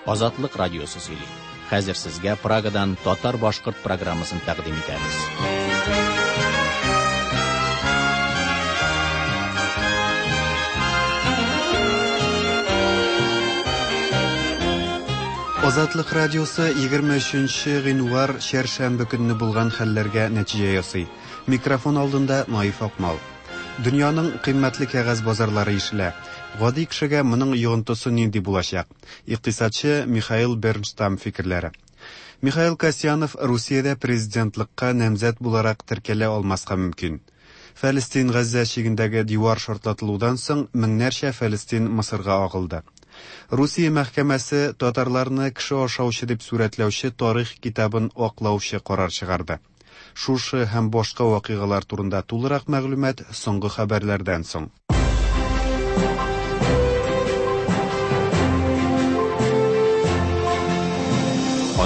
Азатлык радиосы сөйли. Хәзер сезгә Прагадан татар-башкорт программасын тәкъдим итәбез. Азатлык радиосы 23 гыйнвар чәршәмбе көнне булган хәлләргә нәтиҗә ясый. Микрофон алдында Наиф Акмал. Дөньяның кыйммәтле кәгазь базарлары ишелә. Гади кешегә моның йогынтысы нинди булачак? Икътисадчы Михаил Бернштам фикерләре. Михаил Касьянов Русиядә президентлыкка намзәт буларак теркәлә алмаска мөмкин. Фәлестин-Газзә чигендәге дивар шартлатылудан соң меңнәрчә фәлестин Мысырга агылды. Русия мәхкәмәсе татарларны кеше ашаучы дип сурәтләүче тарих китабын аклаучы карар чыгарды. Шушы һәм башка вакыйгалар турында тулырак мәгълүмат соңгы хәбәрләрдән соң.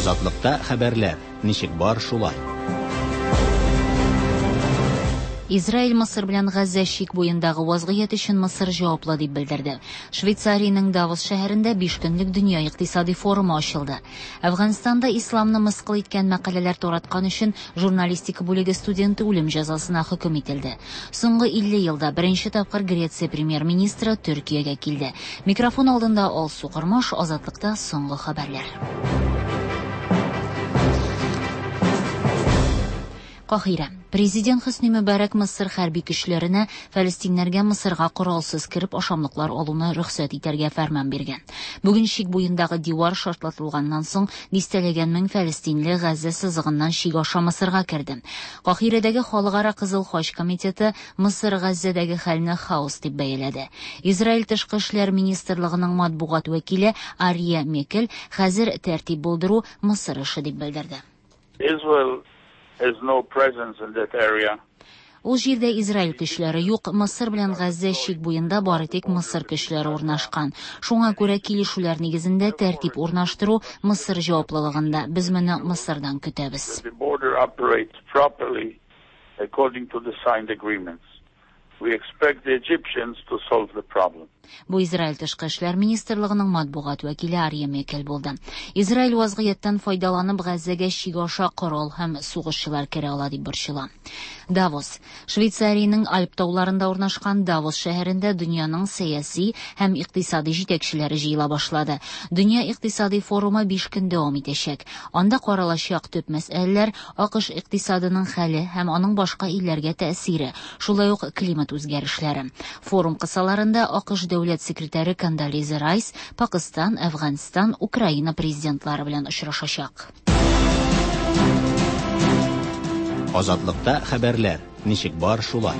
Азатлыкта хәбәрләр, ничек бар шулай. Израиль Мысыр белән Газзә чик буендагы вазгыять өчен Мысыр җаваплы дип белдерде. Швейцариянең Давос шәһәрендә биш көнлек дөнья икътисади форумы ачылды. Әфганстанда исламны мыскыл иткән мәкаләләр тараткан өчен журналистика бүлеге студенты үлем җәзасына хөкем ителде. Соңгы 50 елда беренче тапкыр Греция премьер-министры Төркиягә килде. Микрофон алдында Алсу Кормаш, Азатлыкта соңгы хәбәрләр. Каһирә. Президент Хөсни Мөбарәк Мысыр хәрби көчләренә фәлестиннәргә Мысырга коралсыз кереп ашамлыклар алуны рөхсәт итәргә фәрман биргән. Бүген чик буендагы дивар шартлатылганнан соң дистәләгән мең фәлестинле Газзә сызыгыннан чик аша Мысырга керде. Каһирәдәге Халыкара Кызыл Хач комитеты Мысыр Газзәдәге хәлне хаос дип бәяләде. Израиль тышкы эшләр министрлыгының матбугат вәкиле Ария Мекель хәзер тәртип булдыру Мысыр эше дип белдерде. Israel has no presence in that area. Ул җирдә Израиль көчләре юк, Мысыр белән Газзә чик буенда бары тик Мысыр көчләре урнашкан. Шуңа күрә килешүләр нигезендә тәртип урнаштыру Мысыр җаваплылыгында. Без моны Мысырдан көтәбез. The border operates properly according to the signed agreements. We expect the Egyptians to solve the problem. Бу Израиль тышкы эшләр министрлыгының матбугат вәкиле Арье Мекель булды. Израиль вазгыятьтән файдаланып Газзәгә чик аша корал һәм сугышчылар керә ала дип борчыла. Давос. Швейцариянең Альп тауларында урнашкан Давос шәһәрендә дөньяның сәяси һәм икътисади җитәкчеләре җыела башлады. Дөнья икътисади форумы 5 көн дәвам итәчәк. Анда каралачак төп мәсьәләләр АКШ икътисадының хәле һәм аның башка илләргә тәэсире, шулай ук климат үзгәрешләре. Форум кысаларында АКШ дәүләт секретаре Кондолиза Райс Пакыстан, Әфганстан, Украина президентлары белән очрашачак. Азатлыкта хәбәрләр, ничек бар шулай.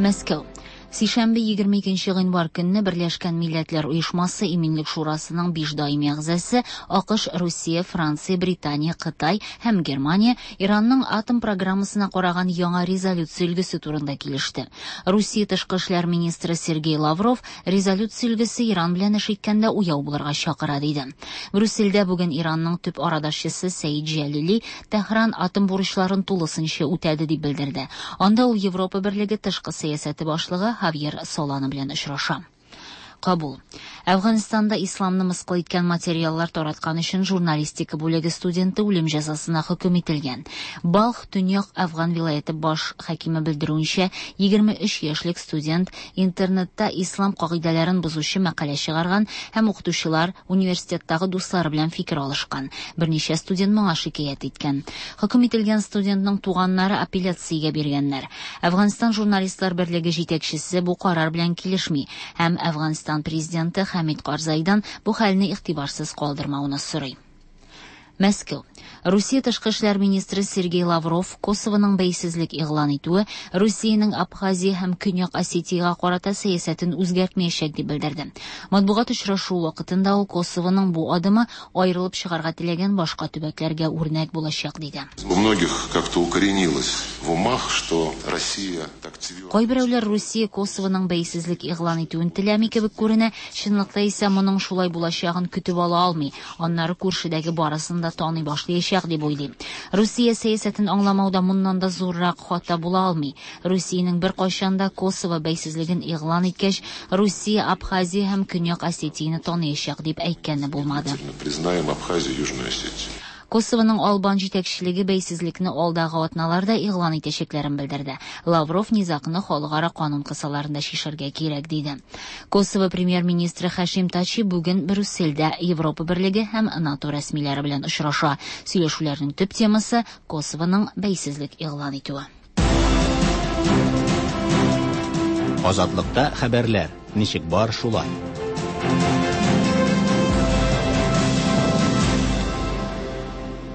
Мәскәү. Сишәмбе 22 гыйнвар көнне Берләшкән Милләтләр Оешмасы Иминлек Шурасының 5 даими әгъзасы АКШ, Русия, Франция, Британия, Кытай һәм Германия Иранның атом программасына караган яңа резолюция өлгесе турында килеште. Русия тышкы эшләр министры Сергей Лавров резолюция өлгесе Иран белән эш иткәндә уяу булырга чакыра диде. Брюссельдә бүген Иранның төп арадашчысы Сәид Җәлили Тәһран атом бурычларын тулысынча үтәде дип белдерде. Анда ул Европа Берлеге тышкы сәясәте башлыгы Хавьер Солана белән очраша. Кабул. Әфганстанда исламны мыскыл иткән материаллар тараткан өчен журналистика бүлеге студенты үлем җәзасына хөкем ителгән. Балх Төньяк Әфган вилаяте баш хакиме белдерүенчә, 23 яшьлек студент интернетта ислам кагыйдәләрен бозучы мәкалә чыгарган һәм укытучылар университеттагы дуслары белән фикер алышкан. Берничә студент моңа шикаять иткән. Хөкем ителгән студентның туганнары апелляциягә биргәннәр. Әфганстан журналистлар берлеге җитәкчесе бу карар белән килешми һәм Әфганстан президенты Хәмид Карзайдан бу хәлне игътибарсыз калдырмауны сорый. Мәскәү. Русия тышкы эшләр министры Сергей Лавров Косовоның бәйсезлек игълан итүе Русиянең Абхазия һәм Көньяк Осетиягә карата сәясәтен үзгәртмәячәк дип белдерде. Матбугат очрашуы вакытында ул Косовоның бу адымы аерылып чыгарга теләгән башка төбәкләргә үрнәк булачак диде. У многих как-то укоренилось в умах, что Россия так Кайберәүләр Русия Косовоның бәйсезлек игълан итүен теләми кебек күренә, чынлыкта исә моның шулай булачагын көтеп ала алмый, аннары күршедәге барысын да таный башлаячак дип уйлый. Русия сәясәтен аңламауда моннан да зуррак хата була алмый. Русиянең беркайчан да Косово бәйсезлеген игълан иткәч, Русия Абхазия һәм Көньяк Осетияне таныячак дип әйткәне булмады. Признаем Абхазию, Южную Осетию. Косовоның албан җитәкчелеге бәйсезлекне алдагы атналарда игълан итәчәкләрен белдерде. Лавров низагны халыкара канун кысаларында чишәргә кирәк диде. Косово премьер-министры Хашим Тачи бүген Брюссельдә Европа Берлеге һәм НАТО рәсмиләре белән очраша. Сөйләшүләрнең төп темасы Косовоның бәйсезлек игълан итүе. Азатлыкта хәбәрләр ничек бар шулай.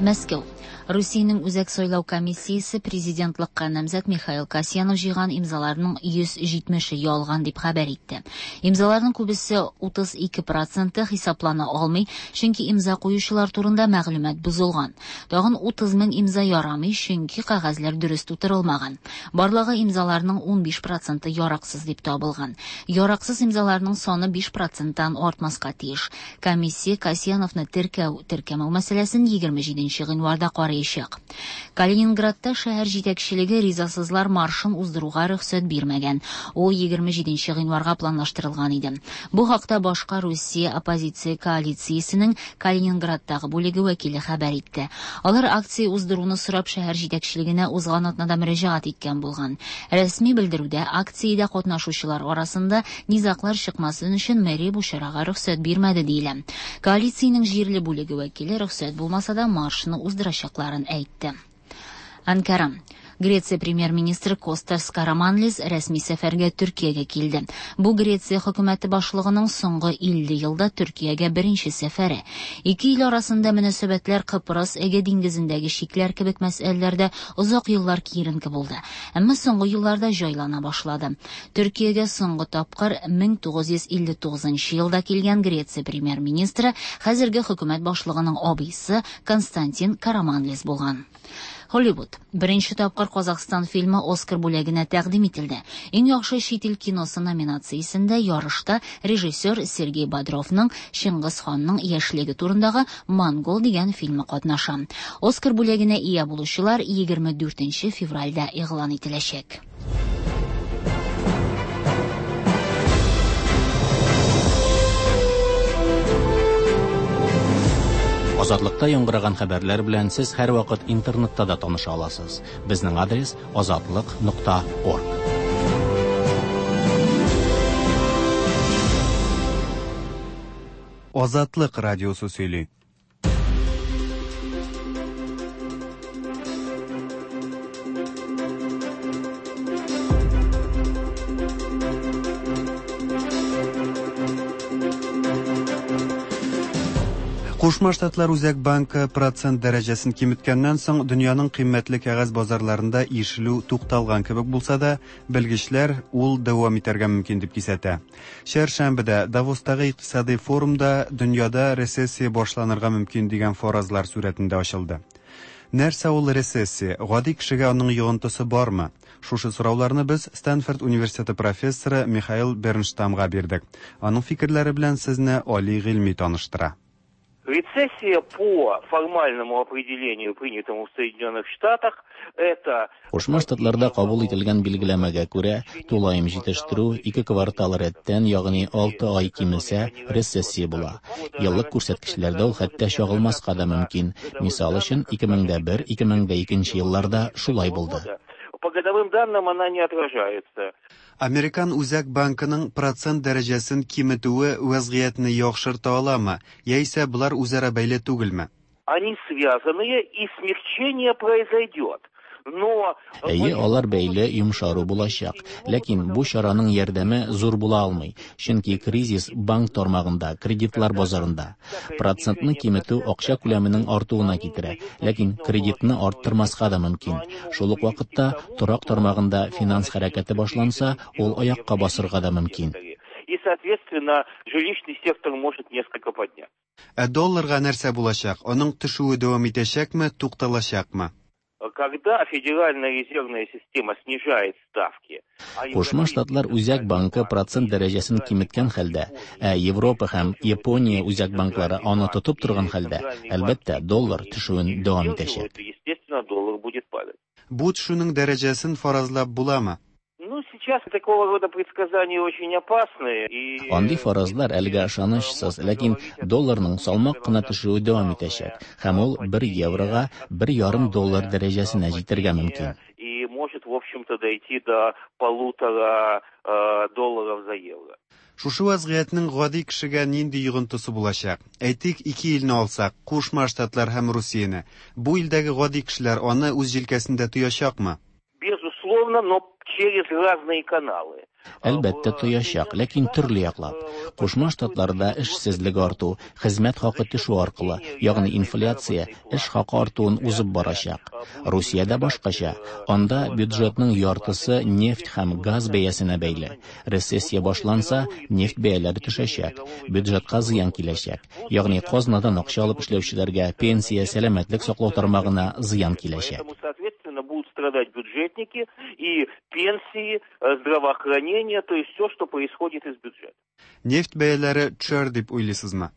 Мәскәү. Русиянең Үзәк сайлау комиссиясе президентлыкка намзәт Михаил Касьянов җыйган имзаларның 170-е ялган дип хәбәр итте. Имзаларның күбесе 32% хисаплана алмый, чөнки имза куючылар турында мәгълүмат бозылган. Тагын 30 мең имза ярамый, чөнки кәгазьләр дөрес тутырылмаган. Барлыгы имзаларның 15% яраксыз дип табылган. Яраксыз имзаларның саны 5%-тан артмаска тиеш. Комиссия Касьяновны теркәү, теркәмәү мәсьәләсен 27 гыйнварда карыячак. Калининградта шәһәр җитәкчелеге ризасызлар маршын уздыруга рөхсәт бирмәгән. Ул 27 гыйнварга планлаштырылган иде. Бу хакта башка Русия оппозиция коалициясенең Калининградтагы бүлеге вәкиле хәбәр итте. Алар акция уздыруны сорап шәһәр җитәкчелегенә узган атнада мөрәҗәгать иткән булган. Рәсми белдерүдә акциядә катнашучылар арасында низаглар чыкмасын өчен мэрия бу чарага рөхсәт бирмәде диелә. Коалициянең җирле бүлеге вәкиле рөхсәт булмаса да маршны уздырачакларын әйтте. Анкара. Греция премьер-министры Костас Караманлис рәсми сәфәргә Төркиягә килде. Бу Греция хөкүмәте башлыгының соңгы 50 елда Төркиягә беренче сәфәре. Ике ил арасында мөнәсәбәтләр Кыпрыс, Эге диңгезендәге чикләр кебек мәсьәләләрдә озак еллар киеренке булды. Әмма соңгы елларда җайлана башлады. Төркиягә соңгы тапкыр 1959 елда килгән Греция премьер-министры хәзерге хөкүмәт башлыгының абыйсы Константин Караманлис булган. Холливуд. Беренче тапкыр Казахстан фильмы Оскар бүләгенә тәкъдим ителде. Иң яхшы чит ил киносы номинациясендә ярышта режиссер Сергей Бодровның Чингис ханның яшьлеге турындагы Монгол дигән фильмы катнаша. Оскар бүләгенә ия булучылар 24 февральдә игълан ителәчәк. Азатлыкта яңгыраган хәбәрләр белән сез һәрвакыт интернетта да таныша аласыз. Безнең адрес azatliq.org. Азатлык радиосы сөйли. Кушма Штатлар Үзәк банкы процент дәрәҗәсен киметкәннән соң дөньяның кыйммәтле кәгазь базарларында ишелү тукталган кебек булса да, белгечләр ул дәвам итәргә мөмкин дип кисәтә. Чәршәмбедә Давостагы икътисади форумда дөньяда рецессия башланырга мөмкин дигән фаразлар сурәтендә ачылды. Нәрсә ул рецессия? Гади кешегә аның йогынтысы бармы? Шушы сорауларны без Стэнфорд университеты профессоры Михаил Бернштамга бирдек. Аның фикерләре белән сезне Али Гыйльми таныштыра. Рецессия по формальному определению, принятому в Соединенных Штатах, это... Кушма Штатларда кабул ителгән билгеләмәгә күрә, тулаем җитештерү ике квартал рәттән, ягъни 6 ай кимесә, рецессия була. Еллык күрсәткечләрдә ул хәтта чагылмаска да мөмкин. Мисал өчен, 2001-2002 елларда шулай булды. По годовым данным она не отражается. Американ Үзәк банкының процент дәрәҗәсен киметүе вәзгыятьне яхшырта аламы, яисә болар үзара бәйле түгелме? Они связанные, и смягчение произойдет. Но... Әйе, алар бәйле йомшару булачак. Ләкин бу чараның ярдәме зур була алмый, чөнки кризис банк тармагында, кредитлар базарында. Процентны киметү акча күләменең артуына китерә, ләкин кредитны арттырмаска да мөмкин. Шул ук вакытта торак тармагында финанс хәрәкәте башланса, ул аякка басырга да мөмкин. И, соответственно, жилищный сектор может несколько подняться. Ә долларга нәрсә булачак? Аның төшүе дәвам итәчәкме, тукталачакмы? Когда Федеральная резервная система снижает ставки, Кушма Штатлар Үзәк банкы процент дәрәҗәсен киметкән хәлдә, ә Европа һәм Япония үзәк банклары аны тотып торган хәлдә, әлбәттә, доллар төшүен дәвам итәчәк. Естественно, доллар будет падать. Бу төшүнең дәрәҗәсен фаразлап буламы? Ну, сейчас такого рода предсказания очень опасные. И... Андый фаразлар әлегә ышанычсыз, ләкин долларның салмак кына төшүе дәвам итәчәк, һәм ул 1 еврога 1,5 доллар дәрәҗәсенә җитәргә мөмкин. И может, в общем-то, дойти до 1,5 долларов за евро. Шушы вазгыятьнең гади кешегә нинди йогынтысы булачак? Әйтик, ике илне алсак, Кушма Штатлар һәм Русияне. Бу илдәге гади кешеләр аны үз җилкәсендә тоячакмы? Безусловно, но через разные каналы. Әлбәттә тоячак, ләкин төрле яклап. Кушма Штатларда эшсезлек арту, хезмәт хакы төшү аркылы, ягъни инфляция эш хакы артуын узып барачак. Русиядә башкача. Анда бюджетның яртысы нефть һәм газ бәясенә бәйле. Рецессия башланса, нефть бәяләре төшәчәк, бюджетка зыян киләчәк. Ягъни казнадан акча алып эшләүчеләргә, пенсия, сәламәтлек саклау тармагына зыян киләчәк. Поэтому, соответственно, будут страдать бюджетники и пенсии, здравоохранение, то есть все, что происходит из бюджета. Нефть бәяләре төшәр дип уйлыйсызмы?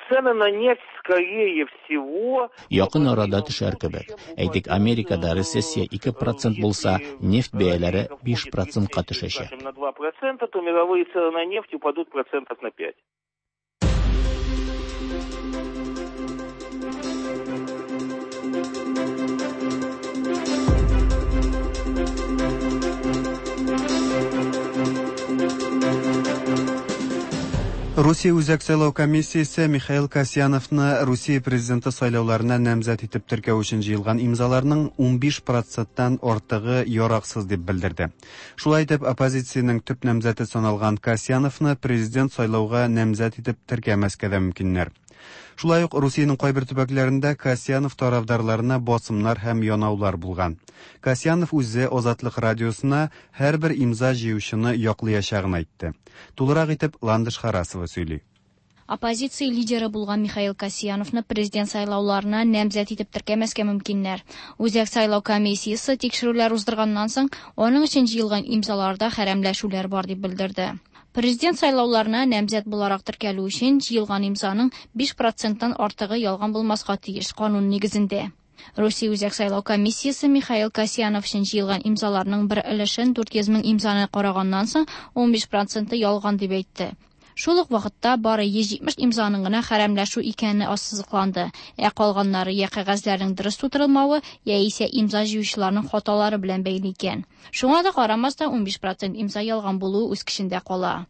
Цены на нефть, скорее всего... Якын арада төшәр кебек. Әйтик, Америкада рецессия 2% булса, нефть бәяләре 5%-ка төшәчәк. На 2%, то мировые цены на нефть упадут процентов на 5. Русия Үзәк сайлау комиссиясе Михаил Касьяновны Русия президенты сайлауларына намзәт итеп теркәү өчен җыелган имзаларның 15%-тан артыгы яраксыз дип белдерде. Шулай итеп, оппозициянең төп намзәте саналган Касьяновны президент сайлауга намзәт итеп теркәмәскә дә мөмкиннәр. Шулай ук Русиянең кайбер төбәкләрендә Касьянов тарафдарларына басымнар һәм янаулар булган. Касьянов үзе Азатлык радиосына һәрбер имза җыючыны яклаячагын әйтте. Тулырак итеп Ландыш Харасова сөйли. Оппозиция лидеры булган Михаил Касьяновны президент сайлауларына намзәт итеп теркәмәскә мөмкиннәр. Үзәк сайлау комиссиясе тикшерүләр уздырганнан соң, аның өчен җыелган имзаларда хәрәмләшүләр бар дип белдерде. Президент сайлауларына намзәт буларак теркәлү өчен җыелган имзаның 5%-тан артыгы ялган булмаска тиеш канун нигезендә. Русия Үзәк сайлау комиссиясе Михаил Касьянов өчен җыелган имзаларның бер өлешен 400 мең имзаны караганнан соң 15% ялган дип әйтте. Шул ук вакытта бары 170 имзаның гына хәрәмләшү икәне ассызыкланды, ә калганнары я кәгазьләрнең дөрес тутырылмавы, яисә имза җыючыларның хаталары белән бәйле икән. Шуңа да карамастан 15% имза ялган булуы үз көчендә кала.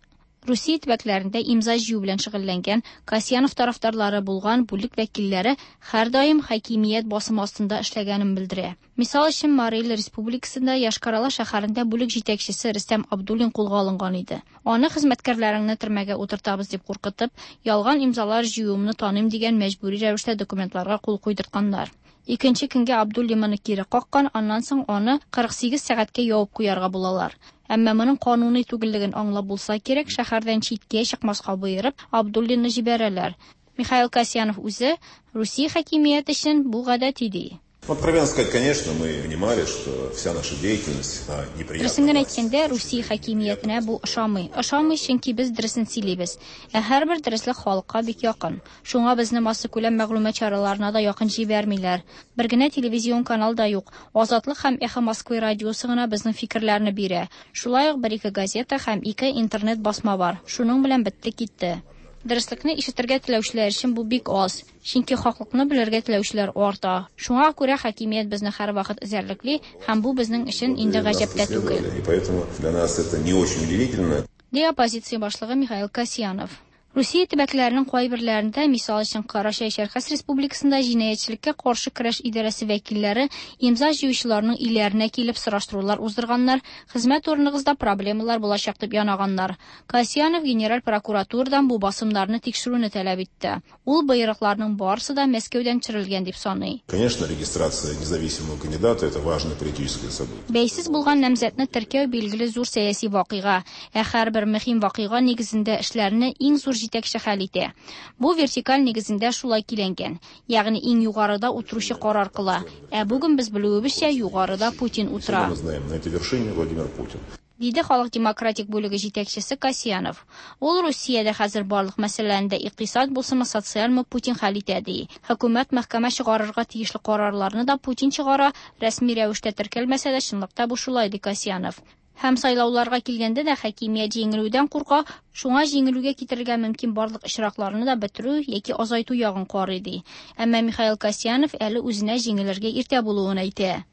Русия төбәкләрендә имза җыю белән шөгыльләнгән Касьянов тарафдарлары булган бүлек вәкилләре һәрдаим хакимият басымы астында эшләгәнен белдерә. Мисал өчен, Марий Эл Республикасында Йошкар-Ола шәһәрендә бүлек җитәкчесе Рөстәм Абдуллин кулга алынган иде. Аны хезмәткәрләреңне төрмәгә утыртабыз дип куркытып, ялган имзалар җыюымны таныйм дигән мәҗбүри рәвештә документларга кул куйдыртканнар. Икенче көнгә Абдуллин моны кире каккан, аннан соң аны 48 сәгатькә ябып куярга булалар. Әмма моның кануни түгеллеген аңлап булса кирәк, шәһәрдән читкә чыкмаска боерып, Абдуллинны җибәрәләр. Михаил Касьянов үзе Русия хакимияте өчен бу гадәти ди. Откровенно сказать, конечно, мы понимали, что вся наша деятельность неприятна. Дөресен генә әйткәндә, Русия хакимиятенә бу ошамый. Ошамый, чөнки без дөресен сөйлибез. Ә һәрбер дөреслек халыкка бик якын. Шуңа безне массакүләм мәгълүмат чараларына да якын җибәрмиләр. Бер генә телевизион канал да юк. Азатлык һәм Эхо Москвы радиосы гына безнең фикерләрне бирә. Шулай ук бер-ике газета һәм ике интернет басма бар. Шуның белән бетте китте. Дөреслекне ишетергә теләүчеләр өчен бу бик аз, чөнки хаклыкны белергә теләүчеләр арта. Шуңа күрә хакимият безне һәрвакыт эзәрлекли, һәм бу безнең өчен инде гаҗәп тә түгел. И поэтому для нас это не очень удивительно. Ди оппозиция башлыгы Михаил Касьянов. Русия төбәкләренең кайберләрендә, мисал өчен, Карачай-Чәркәс Республикасында җинаятьчелеккә каршы көрәш идарәсе вәкилләре имза җыючыларның өйләренә килеп сораштырулар уздырганнар, хезмәт урыныгызда проблемалар булачак дип янаганнар. Касьянов генераль прокуратурадан бу басымнарны тикшерүне таләп итте. Ул боерыкларның барысы да Мәскәүдән төшерелгән дип саный. Конечно, регистрация независимого кандидата это важное политическое событие. Бәйсез булган намзәтне теркәү билгеле зур сәяси вакыйга, ә һәрбер мөһим вакыйга нигезендә эшләрне иң зур җитәкче хәл итә. Бу вертикаль нигезендә шулай көйләнгән. Ягъни иң югарыда утыручы карар кыла. Ә бүген без белүебезчә, югарыда Путин утыра. Мы знаем, на этой вершине Владимир Путин. Диде Халык демократик бүлеге җитәкчесе Касьянов. Ул Русиядә хәзер барлык мәсьәләләрне дә икътисад булсынмы, социальмы Путин хәл итә ди. Хөкүмәт мәхкәмә чыгарырга тиешле карарларны да Путин чыгара, рәсми рәвештә теркәлмәсә дә чынлыкта бу шулай ди Касьянов. Һәм сайлауларга килгәндә дә хакимият җиңелүдән курка, шуңа җиңелүгә китерергә мөмкин барлык очракларны да бетерү яки азайту ягын карый ди. Әмма Михаил Касьянов әле үзенә җиңелергә иртә булуын әйтә.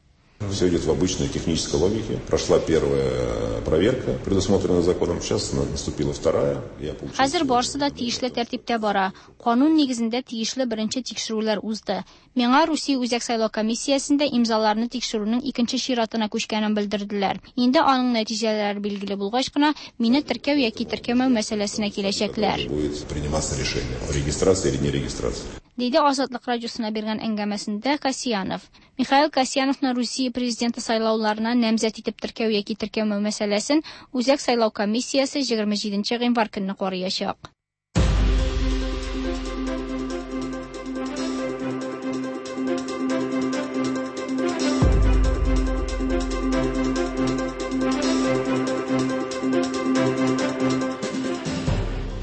Все идет в обычной технической логике. Прошла первая проверка, предусмотренная законом. Сейчас наступила вторая. Я получил Хәзер барысы да тиешле тәртиптә бара. Канун нигезендә тиешле беренче тикшерүләр узды. Миңа Русия Үзәк сайлау комиссиясендә имзаларны тикшерүнең икенче чиратына күчкәнен белдерделәр. Инде аның нәтиҗәләре билгеле булгач кына мине теркәү яки теркәмәү мәсьәләсенә киләчәкләр. Будет приниматься решение о регистрации или нерегистрации. Диде Азатлык радиосына биргән әңгәмәсендә Касьянов. Михаил Касьяновны Русия президенты сайлауларына намзәт итеп теркәү яки теркәмәү мәсьәләсен Үзәк сайлау комиссиясе 27 гыйнвар көнне караячак.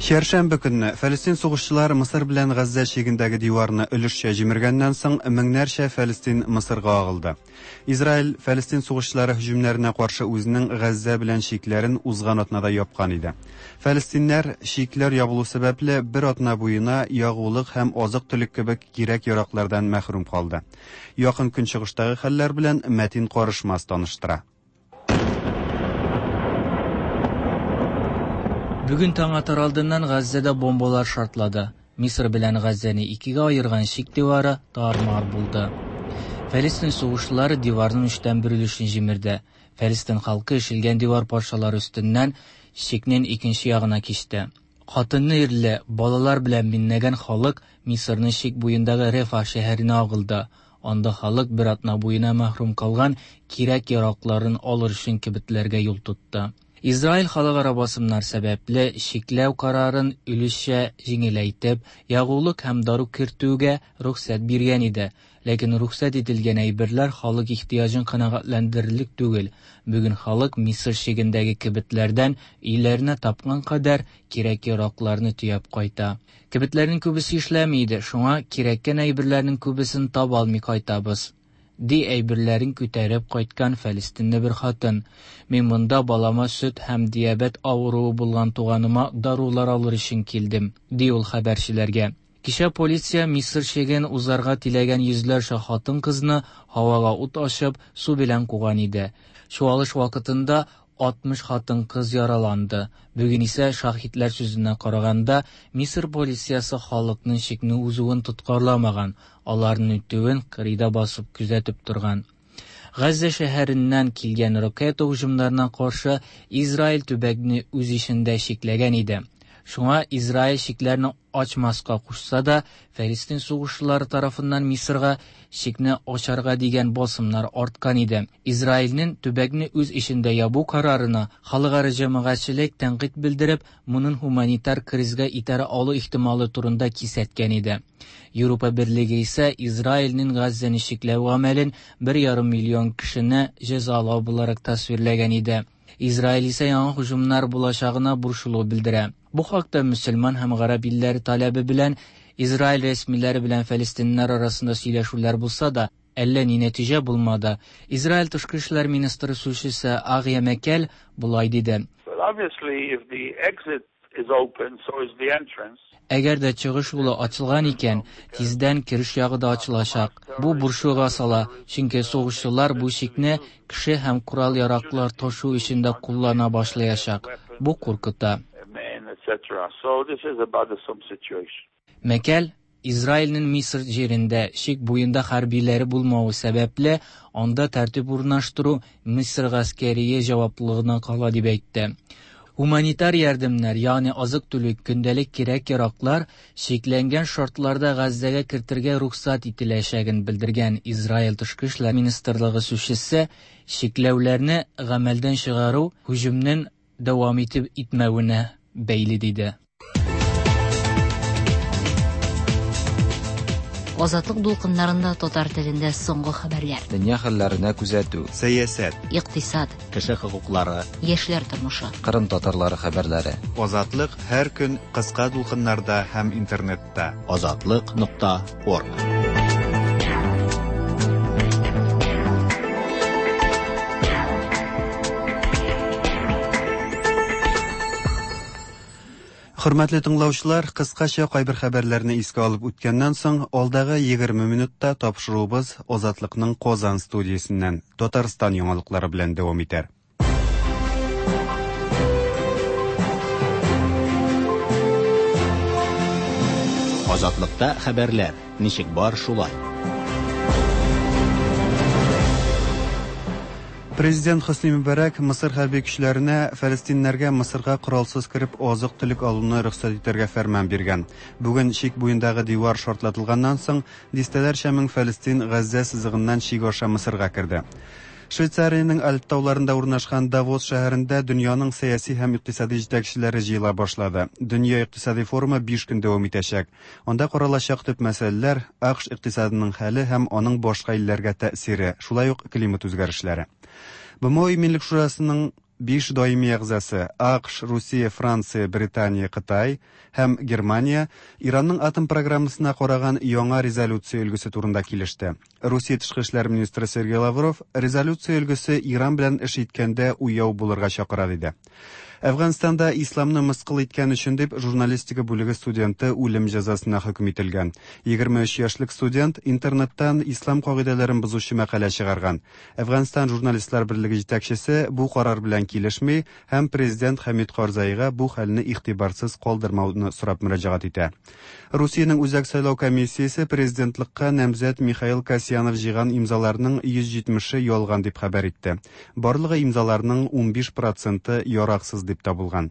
Чәршәмбе көнне Фәлестин сугышчылары Мысыр белән Газзә чигендәге диварны өлешчә җимергәннән соң меңнәрчә Фәлестин Мысырга агылды. Израиль Фәлестин сугышчылары һөҗүмнәренә каршы үзенең Газзә белән чикләрен узган атнада япкан иде. Фәлестиннәр чикләр ябылу сәбәпле бер атна буена ягулык һәм азык-төлек кебек кирәк-яраклардан мәхрүм калды. Якын көнчыгыштагы хәлләр белән Мәтин Карышмас таныштыра. Бүген таң атар алдыннан Газзәдә бомбалар шартлады. Мисыр белән Газзәне икегә аерган чик дивары тар-мар булды. Фәлестин сугышчылары диварның өчтән бер өлешен җимерде. Фәлестин халкы ишелгән дивар парчалары өстеннән чикнең икенче ягына кичте. Хатынны ирле, балалар белән меңләгән халык Мисырның чик буендагы Рефа шәһәренә агылды. Анда халык бер атна буена мәхрүм калган кирәк-яракларын алыр өчен кибетләргә юл тотты. Израиль халыкара басымнар сәбәпле чикләү карарын өлешчә җиңеләйтеп, ягулык һәм дару кертүгә рөхсәт биргән иде. Ләкин рөхсәт ителгән әйберләр халык ихтыяҗын канәгатьләндерерлек түгел. Бүген халык Мисыр чигендәге кибетләрдән өйләренә тапкан кадәр кирәк-яракларны төяп кайта. Кибетләрнең күбесе эшләми иде, шуңа кирәккән әйберләрнең күбесен таба алмый кайтабыз. Ди әйберләрен күтәреп кайткан фәлестинле бер хатын. Мин монда балама сөт һәм диабет авыруы булган туганыма дарулар алыр өчен килдем, ди ул хәбәрчеләргә. Кичә полиция Мисыр чиген узарга теләгән йөзләрчә хатын-кызны һавага ут ачып, су белән куган иде. Чуалыш вакытында 60 хатын-кыз яраланды. Бүген исә шаһитләр сүзенә караганда, Мисыр полициясе халыкның чикне узуын тоткарламаган, аларның үтүен кырыйда басып күзәтеп торган. Газзә шәһәреннән килгән ракета һөҗүмнәренә каршы Израиль төбәкне үз эчендә чикләгән иде. Шуңа Израиль чикләрне ачмаска кушса да, Фәлестин сугышчылары тарафыннан Мисырга чикне ачарга дигән басымнар арткан иде. Израильнең төбәкне үз эчендә ябу карарына халыкара җәмәгатьчелек тәнкыйть белдереп, моның гуманитар кризга итәрә алу ихтималы турында кисәткән иде. Европа Берлеге исә Израильнең Газзәне чикләү гамәлен бер ярым миллион кешене җәзалау буларак тасвирләгән иде. Израиль исә яңа һөҗүмнәр булачагына борчылу белдерә. Бу хакта мөселман һәм гарәп илләре таләбе белән Израиль рәсмиләре белән фәлестиннәр арасында сөйләшүләр булса да, әллә ни нәтиҗә булмады. Израиль тышкы эшләр министры сүзчесе Агия Мәкәл болай диде. Well, obviously, if the exit is open, so is the entrance. Әгәр дә чыгыш юлы ачылган икән, тиздән кереш ягы да ачылачак. Бу борчуга сала, чөнки сугышчылар бу чикне кеше һәм корал-яраклар ташу өчен дә куллана башлаячак. Бу куркыта. So this is a bothersome situation. Мәкәл Израильнең Мисыр җирендә чик буенда хәрбиләре булмавы сәбәпле, анда тәртип урнаштыру Мисыр гаскәрие җаваплылыгына кала дип әйтте. Гуманитар ярдәмнәр, ягъни азык-төлек, көндәлек кирәк-яраклар чикләнгән шартларда Газзәгә кертергә рөхсәт ителәчәген белдергән Израиль тышкы эшләр министрлыгы сүзчесе чикләүләрне гамәлдән чыгару һөҗүмнең дәвам итеп итмәвенә бәйле диде. Азатлык дулкыннарында татар телендә соңгы хәбәрләр. Дөнья хәлләренә күзәтү. Сәясәт. Икътисад. Кеше хокуклары. Яшьләр тормышы. Кырым татарлары хәбәрләре. Азатлык һәр көн кыска дулкыннарда һәм интернетта. Азатлык нокта орг. Хөрмәтле тыңлаучылар, кыскача кайбер хәбәрләрне искә алып үткәннән соң, алдагы 20 минутта тапшыруыбыз Азатлыкның Казан студиясеннән Татарстан яңалыклары белән дәвам итәр. Азатлыкта хәбәрләр ничек бар шулай. Президент Хөсни Мөбәрәк Мысыр хәрби көчләренә фәлестиннәргә Мысырга коралсыз кереп азык-төлек алуны рөхсәт итәргә фәрман биргән. Бүген чик буендагы дивар шартлатылганнан соң дистәләрчә мең фәлестин Газзә сызыгыннан чик аша Мысырга керде. Швейцариянең Альп тауларында урнашкан Давос шәһәрендә дөньяның сәяси һәм икътисади җитәкчеләре җыела башлады. Дөнья икътисади форумы 5 көн дәвам итәчәк. Анда каралачак төп мәсьәләләр АКШ икътисадының хәле һәм аның башка илләргә тәэсире, шулай ук климат үзгәрешләре. БМО Иминлек шурасының 5 даими әгъзасы АКШ, Русия, Франция, Британия, Кытай һәм Германия Иранның атом программасына караган яңа резолюция өлгесе турында килеште. Русия тышкы эшләр министры Сергей Лавров резолюция өлгесе Иран белән эш иткәндә уяу булырга чакыра диде. Әфганстанда исламны мыскыл иткән өчен дип журналистика бүлеге студенты үлем җәзасына хөкем ителгән. 23 яшьлек студент интернеттан ислам кагыйдәләрен бозучы мәкалә чыгарган. Әфганстан журналистлар берлеге җитәкчесе бу карар белән килешми һәм президент Хәмид Карзайга бу хәлне игътибарсыз калдырмауны сорап мөрәҗәгать итә. Русиянең Үзәк сайлау комиссиясе президентлыкка намзәт Михаил Касьянов җыйган имзаларның 170-е ялган дип хәбәр итте. Барлыгы имзаларның 15% яраксыз дип табылган.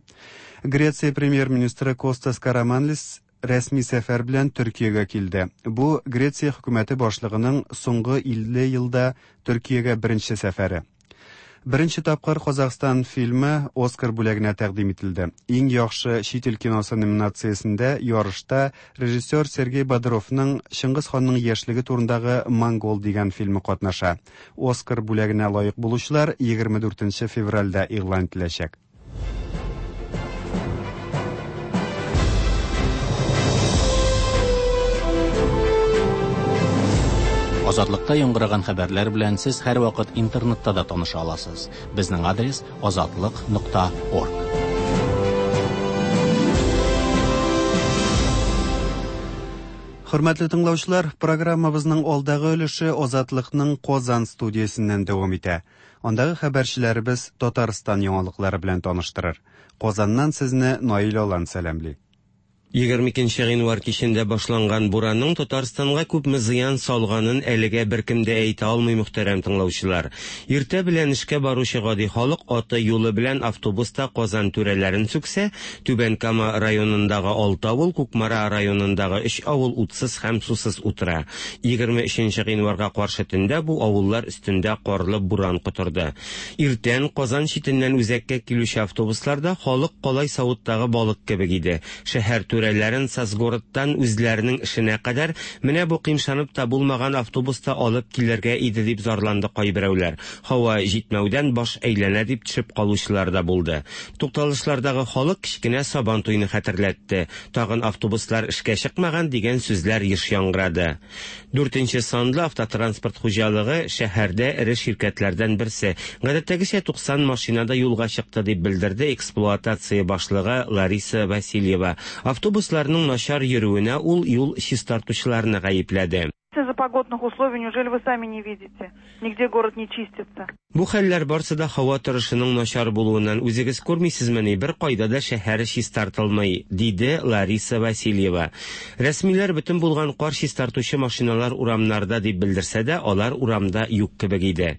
Греция премьер-министры Костас Караманлис рәсми сәфәр белән Төркиягә килде. Бу Греция хөкүмәте башлыгының соңгы 50 елда Төркиягә беренче сәфәре. Беренче тапкыр Казахстан фильмы Оскар бүләгенә тәкъдим ителде. Иң яхшы чит ил киносы номинациясендә ярышта режиссер Сергей Бодровның Чыңгыз ханның яшьлеге турындагы Монгол дигән фильмы катнаша. Оскар бүләгенә лаек булучылар 24 февральдә игълан ителәчәк. Азатлыкта яңгыраган хәбәрләр белән сез һәрвакыт интернетта да таныша аласыз. Безнең адрес azatliq.org. Хөрмәтле тыңлаучылар, программабызның алдагы өлеше Азатлыкның Казан студиясеннән дәвам итә. Андагы хәбәрчеләребез Татарстан яңалыклары белән таныштырыр. Казаннан сезне Наил Алан сәламли. 22 гыйнвар кичендә башланган буранның Татарстанга күпме зыян салганын әлегә беркем дә әйтә алмый, мөхтәрәм тыңлаучылар. Иртә белән эшкә баручы гади халык аты юлы белән автобуста Казан түрәләрен сүксә, Түбән Кама районындагы 6 авыл, Кукмара районындагы 3 авыл утсыз һәм сусыз утыра. 23 гыйнварга каршы төндә бу авыллар өстендә карлы буран котырды. Иртән Казан читеннән үзәккә килүче автобусларда халык калай савыттагы балык кебек иде. Шәһәр түрәләрен Сазгородтан үзләренең эшенә кадәр менә бу кыймшанып та булмаган автобуста алып килергә иде дип зарланды кайберәүләр. Һава җитмәүдән баш әйләнә дип төшеп калучылар да булды. Тукталышлардагы халык кечкенә Сабан туйны хәтерләтте. Тагын автобуслар эшкә чыкмаган дигән сүзләр еш яңгырады. 4нче санлы автотранспорт хуҗалыгы шәһәрдә эре ширкәтләрдән берсе. Гадәттәгечә 90 машинада юлга чыкты дип белдерде эксплуатация башлыгы Лариса Васильева. Автобусларның начар йөрүенә ул юл чистартучыларны гаепләде. Из-за погодных условий, неужели вы сами не видите? Нигде город не чистится. Бу хәлләр барсы да һава торышының начар булуыннан үзегез күрмисезмени, бер кайда да шәһәр чистартылмый, диде Лариса Васильева. Рәсмиләр бөтен булган кар чистартучы машиналар урамнарда дип белдерсә дә, алар урамда юк кебек иде.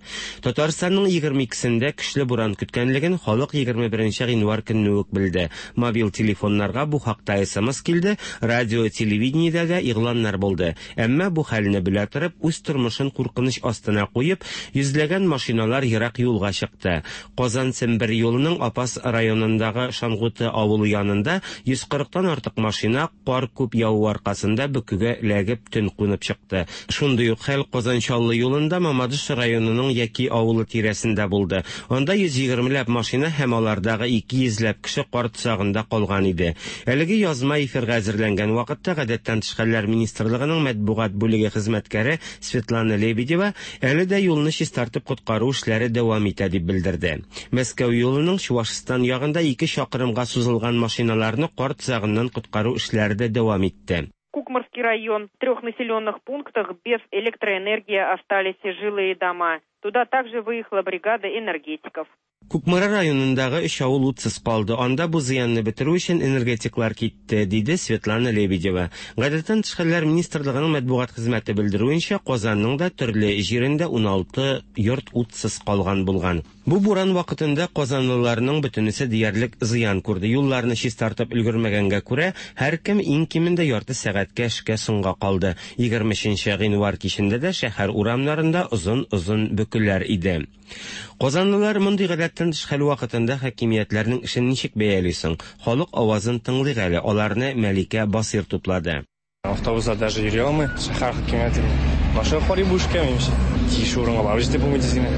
Татарстанның 22-сендә көчле буран көткәнлеген халык 21 гыйнвар көнне үк белде. Мобиль телефоннарга бу хакта СМС килде, радио, телевидениедә дә игъланнар булды. Әмма бу хәлне белә торып, үз тормышын куркыныч астына куеп, йөзләгән машиналар ерак юлга чыкты. Казан-Сембер юлының Апас районындагы Шангуты авылы янында 140 тан артык машина кар күп яву аркасында бөкегә эләгеп төн кунып чыкты. Шундый ук хәл Казан-Чаллы юлында Мамадыш районының Яки авылы тирәсендә булды. Анда 120 ләп машина һәм алардагы 200 ләп кеше кар тозагында калган иде. Әлеге язма эфирга әзерләнгән вакытта Гадәттән тыш хәлләр министрлыгының матбугат бүлеге хезмәткәре Светлана Лебедева әле дә юлны чистартып коткару эшләре дәвам итә дип белдерде. Мәскәү юлының Чувашстан ягында 2 чакрымга сузылган машиналарны кар тозагыннан коткару эшләре дә дәвам итте. Кукморский район. В трех населенных пунктах без электроэнергии остались жилые дома. Туда также выехала бригада энергетиков. Кукмара районындагы өч авыл утсыз калды. Анда бу зыянны бетерү өчен энергетиклар китте, диде Светлана Лебедева. Гадәттән тыш хәлләр министрлыгының матбугат хезмәте белдерүенчә, Казанның да төрле җирендә 16 йорт утсыз калган булган. Бу буран вакытында казанлыларның бөтенесе диярлек зыян күрде. Юлларны чистартып өлгермәгәнгә күрә, һәркем иң кимендә ярты сәгатькә эшкә соңга калды. 23 гыйнвар кичендә дә шәһәр урамнарында озын-озын бөкеләр иде. Казанлылар мондый гадәттән тыш хәл вакытында хакимиятләрнең эшен ничек бәяли соң? Халык авазын тыңлыйк әле, аларны Мәликә Басыйр туплады. Автобуста даже йөри алмый шәһәр хакимияте. Машина карый бу эшкә, минемчә. Тиешле урынга барып җитеп булмый тиз генә.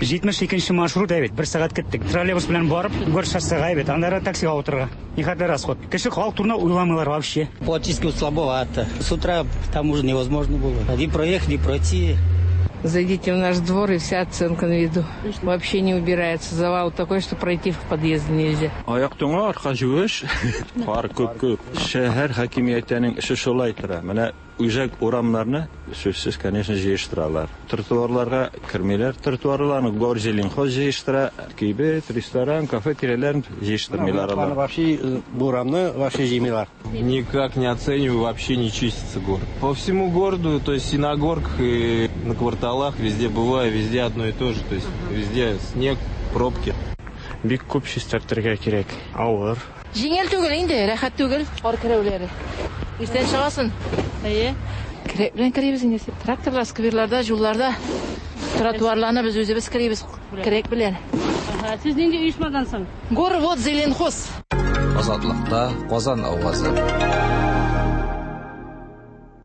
72 маршрут әйбәт, бер сәгать көттек. Троллейбус белән барып, Город шоссега әйбәт, аннары таксига утырырга. Нихәтле расход. Кеше халык турында уйламыйлар вообще. Платически слабовато. С утра там уже невозможно было. Ни проехать, ни пройти. Зайдите в наш двор, и вся оценка на виду. Вообще не убирается. Завал такой, что пройти в подъезд нельзя. Аяк туңа, арка юеш. Кар күп күп. Шәһәр хакимиятенең эше шулай тора. Менә үзәк урамнарны сүзсез, конечно, җыештыралар. Тротуарларга кермиләр. Тротуарларны Горзеленхоз җыештыра. Кибет, ресторан, кафе тирәләрен җыештырмыйлар алар. Вообще бурамны вообще җыймыйлар. Никак не оцениваю, вообще не чистится город. По всему городу, то есть и на горках, и на кварталах, везде бываю, везде одно и то же. То есть везде снег, пробки. Бик күп чистартырга кирәк. Авыр. Җиңел түгел инде, рәхәт түгел кар керүләре. Иртән чыгасың. Әйе. Көрәк белән керибез инде. Тракторлар скверларда, юлларда, тротуарларны без үзебез керибез көрәк белән. Сез нинди оешмадан соң? Горводзеленхоз. Азатлыкта Казан авазы.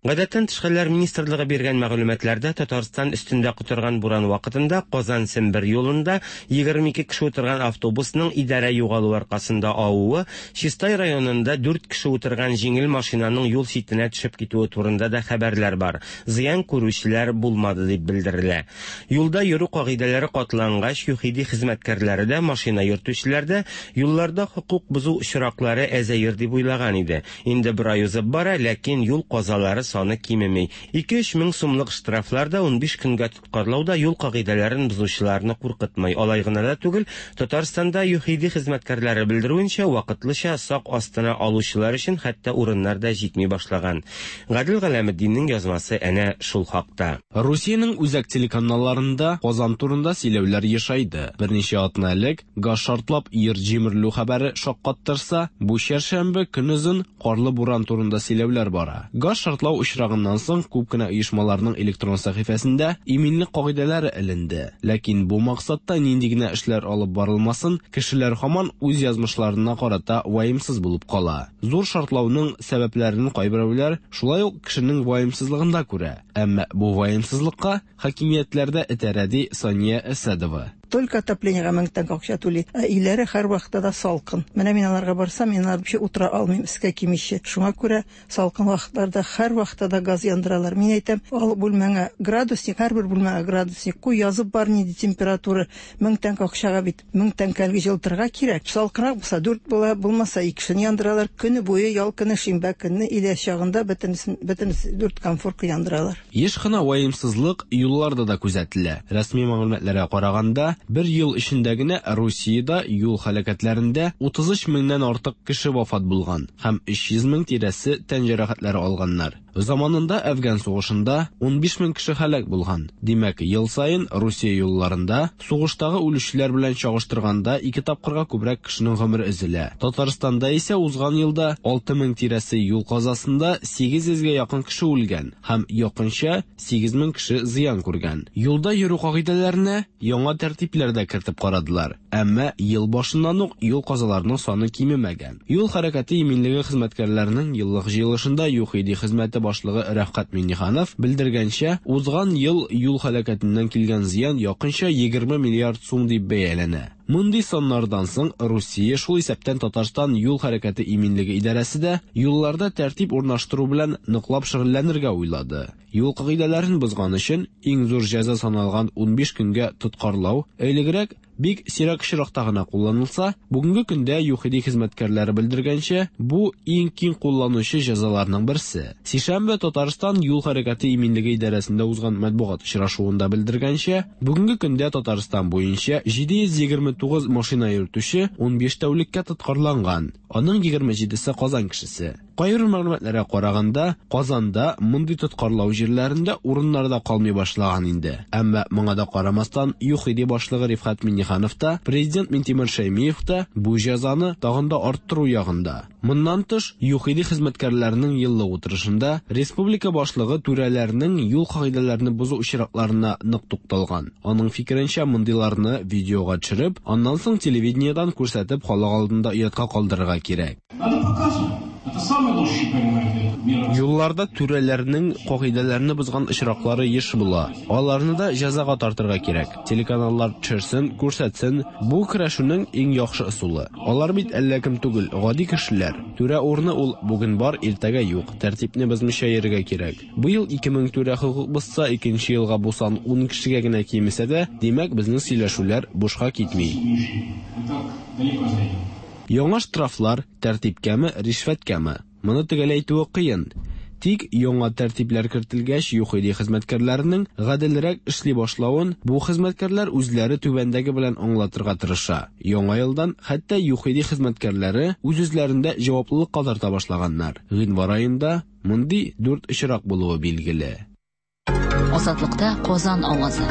Гадәттән тыш хәлләр министрлыгы биргән мәгълүматларда Татарстан өстендә котырган буран вакытында Казан-Сембер юлында 22 кеше утырган автобусның идарә югалу аркасында авуы, Чистай районында 4 кеше утырган җиңел машинаның юл читенә төшеп китүе турында да хәбәрләр бар. Зыян күрүчеләр булмады дип белдерелә. Юлда йөрү кагыйдәләре катлангач, ЮХИДИ хезмәткәрләре дә, машина йөртүчеләр дә юлларда хокук бозу очраклары әзәер дип уйлаган иде. Инде бер ай узып бара, ләкин юл казалары саны кимеми. 2-3 мең сумлык штрафлар да 15 көнгә тоткарлау да юл кагыйдәләрен бозучыларны куркытмый. Алай гына да түгел, Татарстанда ЮХИДИ хезмәткәрләре белдерүенчә, вакытлыча сак астына алучылар өчен хәтта урыннар да җитми башлаган. Гадел Галәметдиннең язмасы әнә шул хакта. Русиянең үзәк телеканалларында Казан турында сөйләүләр ешайды. Берничә атна элек газ шартлап йорт җимерелү хәбәре шаккаттырса, бу чәршәмбе көнозын карлы буран турында сөйләүләр бара. Газ шартлау очрагыннан соң күп кенә оешмаларның электрон сәхифәсендә иминлек кагыйдәләре эленде. Ләкин бу максатта нинди генә эшләр алып барылмасын, кешеләр һаман үз язмышларына карата ваемсыз булып кала. Зур шартлауның сәбәпләрен кайберәүләр шулай ук кешенең ваемсызлыгында күрә. Әмма бу ваемсызлыкка хакимиятләр дә этәрә, ди Сания Әсәдова. Только отоплениега мең тәңкә акча түли. Ә өйләре һәрвакытта да салкын. Менә мин аларга барсам, мин алар вообще утыра алмыйм, өскә кимичә. Шуңа күрә салкын вакытларда һәрвакытта да газ яндыралар. Мин әйтәм, ал бүлмәңә градусник, һәрбер бүлмәгә градусник куй, язып бар нинди температура. Мең тәңкә акчага бит мең тәңкәлек җылытырга кирәк. Салкынрак булса дүрт була, булмаса икесен яндыралар. Көне буе ял көне, шимбә көнне өйлә чагында бөтенесен, бөтенесе дүрт конфорка яндыралар. Еш кына ваемсызлык юлларда да күзәтелә. Рәсми мәгълүматларга караганда, бер ел эчендә генә Русиядә юл һәлакәтләрендә 33 меңнән артык кеше вафат булган һәм 300 мең тирәсе тән җәрәхәтләре алганнар. Заманында Әфган сугышында 15 мең кеше һәлак булган. Димәк, ел саен Русия юлларында сугыштагы үлүчеләр белән чагыштырганда ике тапкырга күбрәк кешенең гомере өзелә. Татарстанда исә узган елда 6 мең тирәсе юл казасында 800 гә якын кеше үлгән һәм якынча 8 мең кеше зыян күргән. Юлда йөрү кагыйдәләренә яңа тәртипләр дә кертеп карадылар. Әмма ел башыннан ук юл казаларының саны кимемәгән. Юл хәрәкәте иминлеге хезмәткәрләренең еллык җыелышында ЮХИДИ хезмәте башлыгы Рәфкать Миңнеханов белдергәнчә, узган ел юл һәлакәтеннән килгән зыян якынча 20 миллиард сум дип бәяләнә. Мондый саннардан соң Русия, шул исәптән Татарстан юл хәрәкәте иминлеге идарәсе дә юлларда тәртип урнаштыру белән ныклап шөгыльләнергә уйлады. Юл кагыйдәләрен бозган өчен иң зур җәза саналган 15 көнгә тоткарлау, элегрәк бик сирәк очракта гына кулланылса, бүгенге көндә ЮХИДИ хезмәткәрләре белдергәнчә, бу иң киң кулланучы җәзаларның берсе. Сишәмбе Татарстан юл хәрәкәте иминлеге идарәсендә узган матбугат очрашуында белдергәнчә, бүгенге көндә Татарстан буенча 729 машина йөртүче 15 тәүлеккә тоткарланган. Аның 27-се Казан кешесе. Кайбер мәгълүматларга караганда, Казанда мондый тоткарлау җирләрендә урыннар да калмый башлаган инде. Әмма моңа да карамастан, ЮХИДИ башлыгы Рифкать Миңнеханов та, президент Минтимер Шәймиев та бу җәзаны тагын да арттыру ягында. Моннан тыш, ЮХИДИ хезмәткәрләренең еллык утырышында республика башлыгы түрәләрнең юл кагыйдәләрне бозу очракларына нык тукталган. Аның фикеренчә, мондыйларны видеога төшереп, аннан соң телевидениедән күрсәтеп халык алдында оятка калдырырга кирәк. Надо показывать. Это самый лучший, понимаете, мера. Юлларда түрәләрнең кагыйдәләрне бозган очраклары еш була. Аларны да җәзага тартырга кирәк. Телеканаллар төшерсен, күрсәтсен. Бу көрәшүнең иң яхшы ысулы. Алар бит әллә кем түгел, гади кешеләр. Түрә урыны ул бүген бар, иртәгә юк. Тәртипне бозмыйча йөрергә кирәк. Быел 2000 түрә хокук бозса, икенче елга бу сан 10 кешегә генә кимесә дә, димәк, безнең сөйләшүләр бушка китми. Мы так далеко зайдем. Яңа штрафлар тәртипкәме, ришвәткәме? Моны төгәл әйтүе кыен. Тик яңа тәртипләр кертелгәч, ЮХИДИ хезмәткәрләренең гаделрәк эшли башлавын бу хезмәткәрләр үзләре түбәндәге белән аңлатырга тырыша. Яңа елдан хәтта ЮХИДИ хезмәткәрләре үз-үзләрендә җаваплылыкка тарта башлаганнар. Гыйнвар аенда мондый дүрт очрак булуы билгеле. Азатлыкта Казан авазы.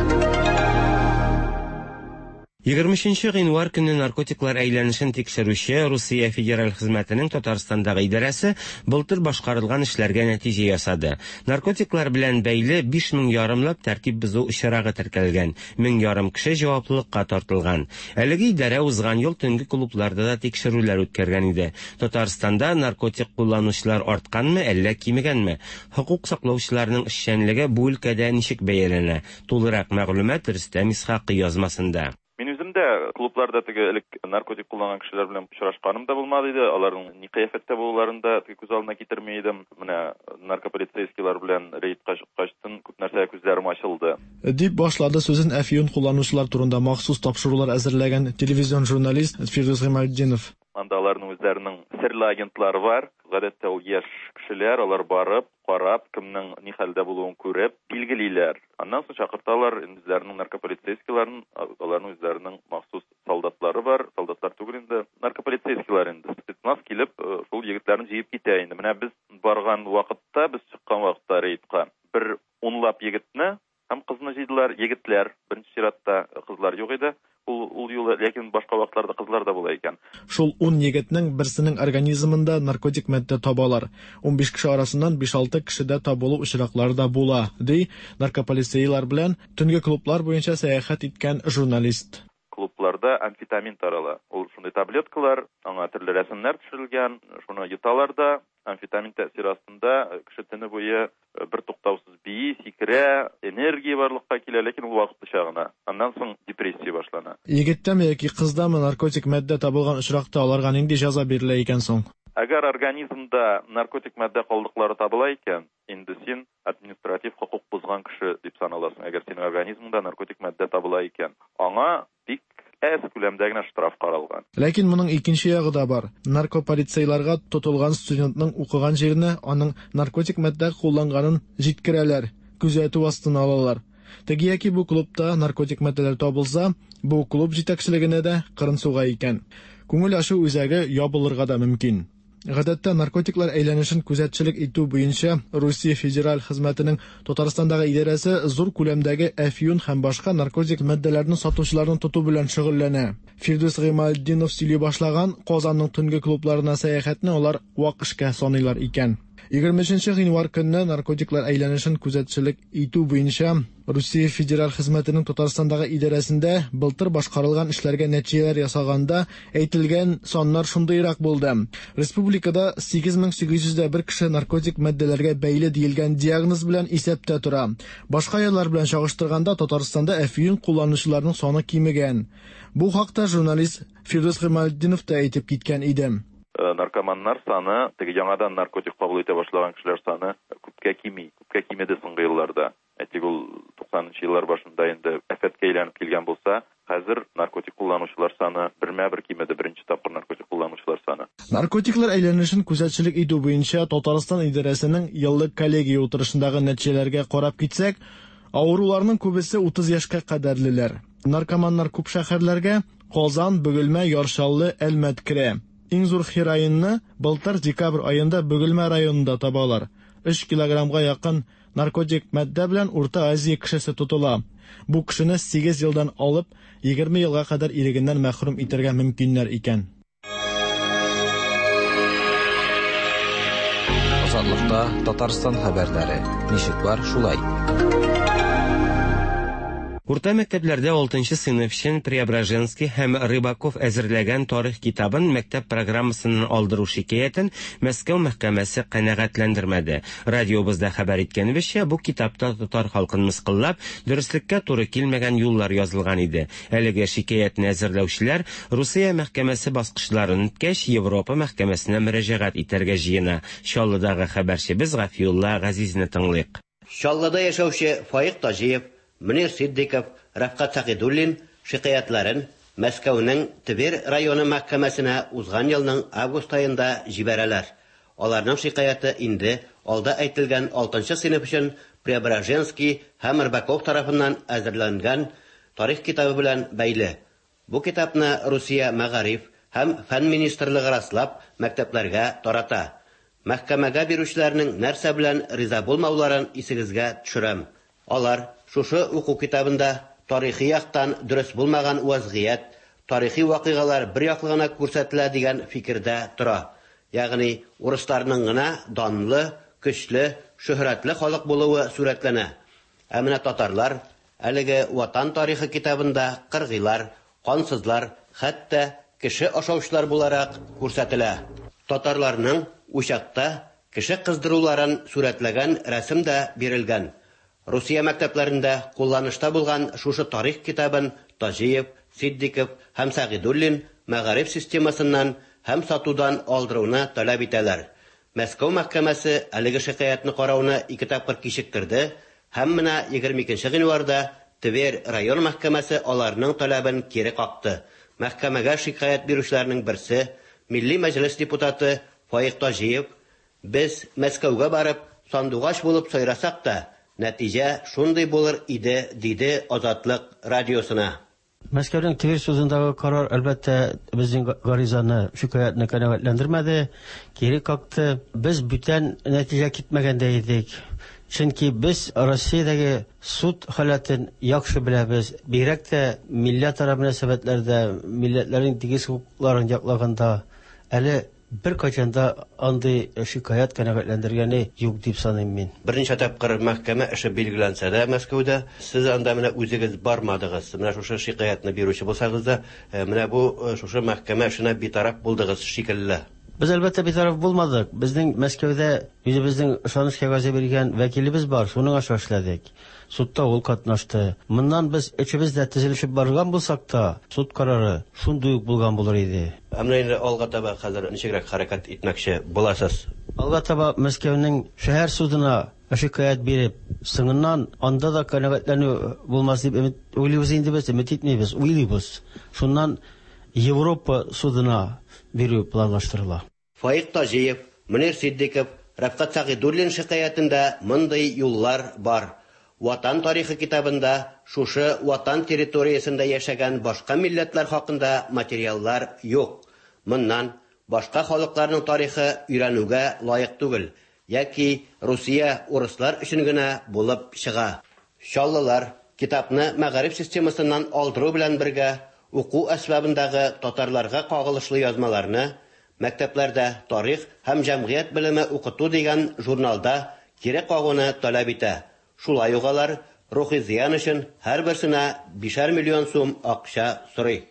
23 гыйнвар көнне наркотиклар әйләнешен тикшерүче Русия федераль хезмәтенең Татарстандагы идарәсе былтыр башкарылган эшләргә нәтиҗә ясады. Наркотиклар белән бәйле 5 мең ярымлап тәртип бозу очрагы теркәлгән, 1,5 мең кеше җаваплылыкка тартылган. Әлеге идарә узган ел төнге клубларда да тикшерүләр үткәргән иде. Татарстанда наркотик кулланучылар артканмы, әллә кимегәнме? Хокук саклаучыларның эшчәнлеге бу өлкәдә ничек бәяләнә? Тулырак мәгълүмат Рөстәм Исхакый язмасында. Мин үзем дә клубларда теге элек наркотик кулланган кешеләр белән очрашканым да булмады иде. Аларның ни кыяфәттә булуларын да теге күз алдына китерми идем. Менә наркополицейскийлар белән рейдка чыккачтын күп нәрсәгә күзләрем ачылды. Дип башлады сүзен әфьюн кулланучылар турында махсус тапшырулар әзерләгән телевизион журналист Фирдүс Гыймалтдинов. Анда аларның үзләренең серле агентлары бар. Гадәттә ул яшь кешеләр, алар барып, карап, кемнең ни хәлдә булуын күреп, билгелиләр. Аннан соң чакырталар үзләренең наркополицейскийларын, аларның үзләренең махсус солдатлары бар, солдатлар түгел инде, наркополицейскийлар инде. Спецназ килеп, шул егетләрне җыеп китә инде. Менә без барган вакытта, без чыккан вакытта рейдка бер унлап егетне һәм кызны җыйдылар. Егетләр, беренче чиратта кызлар юк иде. Ул юлы, ләкин башка вакытларда кызлар да була икән. Шул 10 егетнең берсенең организмында наркотик матдә табалар. 15 кеше арасыннан 5-6 кешедә табылу очраклары да була, ди наркополицейлар белән төнге клублар буенча сәяхәт иткән журналист. Клубларда амфетамин тарала. Ул шундый таблеткалар, аңа төрле рәсемнәр төшерелгән, шуны йоталар да, амфетамин тәэсире астында кеше төне буе бер туктаусыз бии, сикерә, энергия барлыкка килә, ләкин ул вакытлыча гына. Аннан соң депрессия башлана. Егеттәме яки кыздамы наркотик матдә табылган очракта аларга нинди җәза бирелә икән соң? Әгәр организмда наркотик матдә калдыклары табыла икән, инде син административ хокук бозган кеше дип саналасың. Әгәр синең организмыңда наркотик матдә табыла икән, аңа бик әз күләмдә генә штраф каралган. Ләкин моның икенче ягы да бар. Наркополицейларга тотылган студентның укыган җиренә аның наркотик матдә кулланганын җиткерәләр, күзәтү астына алалар. Теге яки бу клубта наркотик матдәләр табылса, бу клуб җитәкчелегенә дә кырын суга икән. Күңел ачу үзәге ябылырга да мөмкин. Гадәттә, наркотиклар әйләнешен күзәтчелек итү буенча Русия федераль хезмәтенең Татарстандагы идарәсе зур күләмдәге әфьюн һәм башка наркотик матдәләрне сатучыларны тоту белән шөгыльләнә. Фирдүс Гыймалтдинов сөйли башлаган Казанның төнге клубларына сәяхәтне алар вак эшкә саныйлар икән. 23 гыйнвар көнне наркотиклар әйләнешен күзәтчелек итү буенча Русия федераль хезмәтенең Татарстандагы идарәсендә былтыр башкарылган эшләргә нәтиҗәләр ясаганда әйтелгән саннар шундыйрак булды. Республикада 8801 кеше наркотик матдәләргә бәйле диелгән диагноз белән исәптә тора. Башка еллар белән чагыштырганда Татарстанда әфьюн кулланучыларның саны кимегән. Бу хакта журналист Фирдүс Гыймалтдинов та әйтеп киткән иде. Наркоманнар саны, теге яңадан наркотик кабул итә башлаган кешеләр саны күпкә кими, күпкә кимеде соңгы елларда. Әйтик, ул 90 нчы еллар башында инде афәткә әйләнеп килгән булса, хәзер наркотик кулланучылар саны бермә-бер кимеде, беренче тапкыр наркотик кулланучылар саны. Наркотиклар әйләнешен күзәтчелек итү буенча Татарстан идарәсенең еллык коллегия утырышындагы нәтиҗәләргә карап китсәк, авыруларның күбесе 30 яшькә кадәрлеләр. Наркоманнар күп шәһәрләргә, Казан, Бөгелмә, Яр Чаллы, Әлмәт керә. Иң зур хероинны былтыр декабрь аенда Бөгелмә районында табалар. Өч килограммга якын наркотик матдә белән Урта Азия кешесе тотыла. Бу кешене сигез елдан алып 20 елга кадәр ирегеннән мәхрүм итәргә мөмкиннәр икән. Азатлыкта Татарстан хәбәрләре. Ничек бар, шулай. Урта мәктәпләрдә алтынчы сыйныф өчен Преображенский һәм Рыбаков әзерләгән тарих китабын мәктәп программасыннан алдыру шикаятен Мәскәү мәхкәмәсе канәгатьләндермәде. Радиобызда хәбәр иткәнебезчә, бу китапта татар халкын мыскыллап, дөреслеккә туры килмәгән юллар язылган иде. Әлеге шикаятне әзерләүчеләр Русия мәхкәмәсе баскычларын үткәч, Европа мәхкәмәсенә мөрәҗәгать итәргә җыена. Чаллыдагы хәбәрчебез Гафиулла Газизне тыңлыйк. Чаллыда яшәүче Фаик Таҗиев, Мөнир Ситдиков, Рәфкать Сәгыйдуллин шикаятьләрен Мәскәүнең Тверь районы мәхкәмәсенә узган елның август аенда җибәрәләр. Аларның шикаяте инде алда әйтелгән алтынчы сыйныф өчен Преображенский һәм Рыбаков тарафыннан әзерләнгән тарих китабы белән бәйле. Бу китапны Русия Мәгариф һәм фән министрлыгы раслап, мәктәпләргә тарата. Мәхкәмәгә бирүчеләрнең нәрсә белән риза булмауларын исегезгә төшерәм. Алар шушы уку китабында тарихи яктан дөрес булмаган вәзгыять, тарихи вакыйгалар бер яклы гына күрсәтелә дигән фикердә тора. Ягъни урысларның гына данлы, көчле, шөһрәтле халык булуы сурәтләнә. Ә менә татарлар әлеге Ватан тарихы китабында кыргыйлар, кансызлар, хәтта кеше ашаучылар буларак күрсәтелә. Татарларның учакта кеше кыздыруларын сурәтләгән рәсем дә бирелгән. Русия мәктәпләрендә кулланышта булган шушы тарих китабын Таҗиев, Ситдиков һәм Сәгыйдуллин мәгариф системасыннан һәм сатудан алдыруны таләп итәләр. Мәскәү мәхкәмәсе әлеге шикаятьне карауны ике тапкыр кичектерде һәм менә 22 нче гыйнварда Тверь район мәхкәмәсе аларның таләбен кире какты. Мәхкәмәгә шикаять бирүчеләрнең берсе, Милли Мәҗлес депутаты Фаик Таҗиев, Без Мәскәүгә барып, сандугач булып сайрасак та, нәтиҗә шундый булыр иде, диде Азатлык радиосына. Мәскәүнең Тверь судындагы карар, әлбәттә, безнең гаризаны, шикаятьне канәгатьләндермәде, кире какты. Без бүтән нәтиҗә китмәгән дә идек. Чөнки без Россиядәге суд халәтен яхшы беләбез. Бигрәк тә милләтара мөнәсәбәтләрдә, милләтләрнең тигез хокукларын яклаганда әле Беркайчан да андый шикаять канәгатьләндергәне юк дип саныйм мин. Берничә тапкыр мәхкәмә эше билгеләнсә дә Мәскәүдә, сез анда менә үзегез бармадыгыз. Менә шушы шикаятьне бирүче булсагыз да, менә бу шушы мәхкәмә эшенә битараф булдыгыз шикелле. Без, әлбәттә, битараф булмадык. Безнең Мәскәүдә үзебезнең ышаныч кәгазе биргән вәкилебез бар, шуның аша эшләдек. Судта ул катнашты. Моннан без өчебез дә тезелешеп барган булсак та, суд карары шундый ук булган булыр иде. Ә менә инде алга таба хәзер ничегрәк хәрәкәт итмәкче буласыз? Алга таба Мәскәүнең шәһәр судына шикаять биреп, соңыннан анда да канәгатьләнү булмас дип өмет уйлыйбыз инде без, өмет итмибез, уйлыйбыз. Шуннан Европа судына бирү планлаштырыла. Фаик Таҗиев, Мөнир Ситдиков, Рәфкать Сәгыйдуллин шикаятендә мондый юллар бар, Ватан тарихы китабында шушы Ватан территориясендә яшәгән башка милләтләр хакында материаллар юк. Моннан башка халыкларның тарихы өйрәнүгә лаек түгел яки Русия урыслар өчен генә булып чыга. Чаллылар китапны мәгариф системасыннан алдыру белән бергә уку әсбабындагы татарларга кагылышлы язмаларны Мәктәпләрдә тарих һәм җәмгыять белеме укыту дигән журналда кире кагуны таләп итә. Шулай ук алар рухи зыян өчен һәрберсенә бишәр миллион сум акча сорый.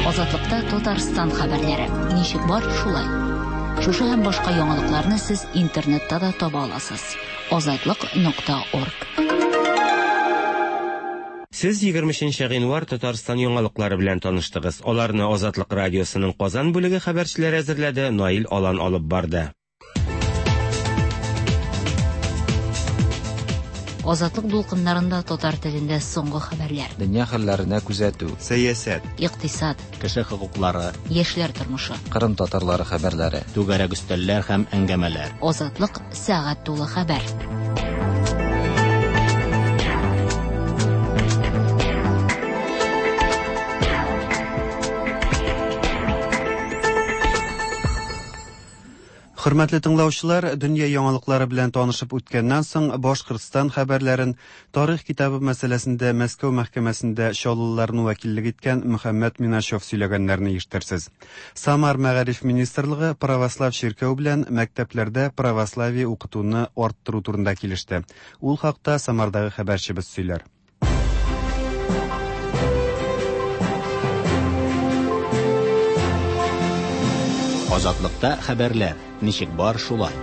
Азатлыкта Татарстан хәбәрләре. Ничек бар, шулай. Шушы һәм башка яңалыкларны сез интернетта да таба аласыз. Азатлык.орг. Сез 23 гыйнвар Татарстан яңалыклары белән таныштыгыз. Аларны Азатлык радиосының Казан бүлеге хәбәрчеләре әзерләде, Наил Алан алып барды. Азатлык дулкыннарында татар телендә соңгы хәбәрләр. Дөнья хәлләренә күзәтү. Сәясәт. Икътисад. Кеше хокуклары. Яшьләр тормышы. Кырым татарлары хәбәрләре. Түгәрәк өстәлләр һәм әңгәмәләр. Азатлык сәгать тулы хәбәр. Хөрмәтле тыңлаучылар, дөнья яңалыклары белән танышып үткәннән соң, Башкортстан хәбәрләрен тарих китабы мәсьәләсендә Мәскәү мәхкәмәсендә чаллыларны вәкиллек иткән Мөхәммәт Миначев сөйләгәннәрне ишетерсез. Самар мәгариф министрлыгы православ чиркәү белән мәктәпләрдә православие укытуны арттыру турында килеште. Ул хакта Самардагы хәбәрчебез сөйләр. Азатлыкта хәбәрләр. Ничек бар, шулай.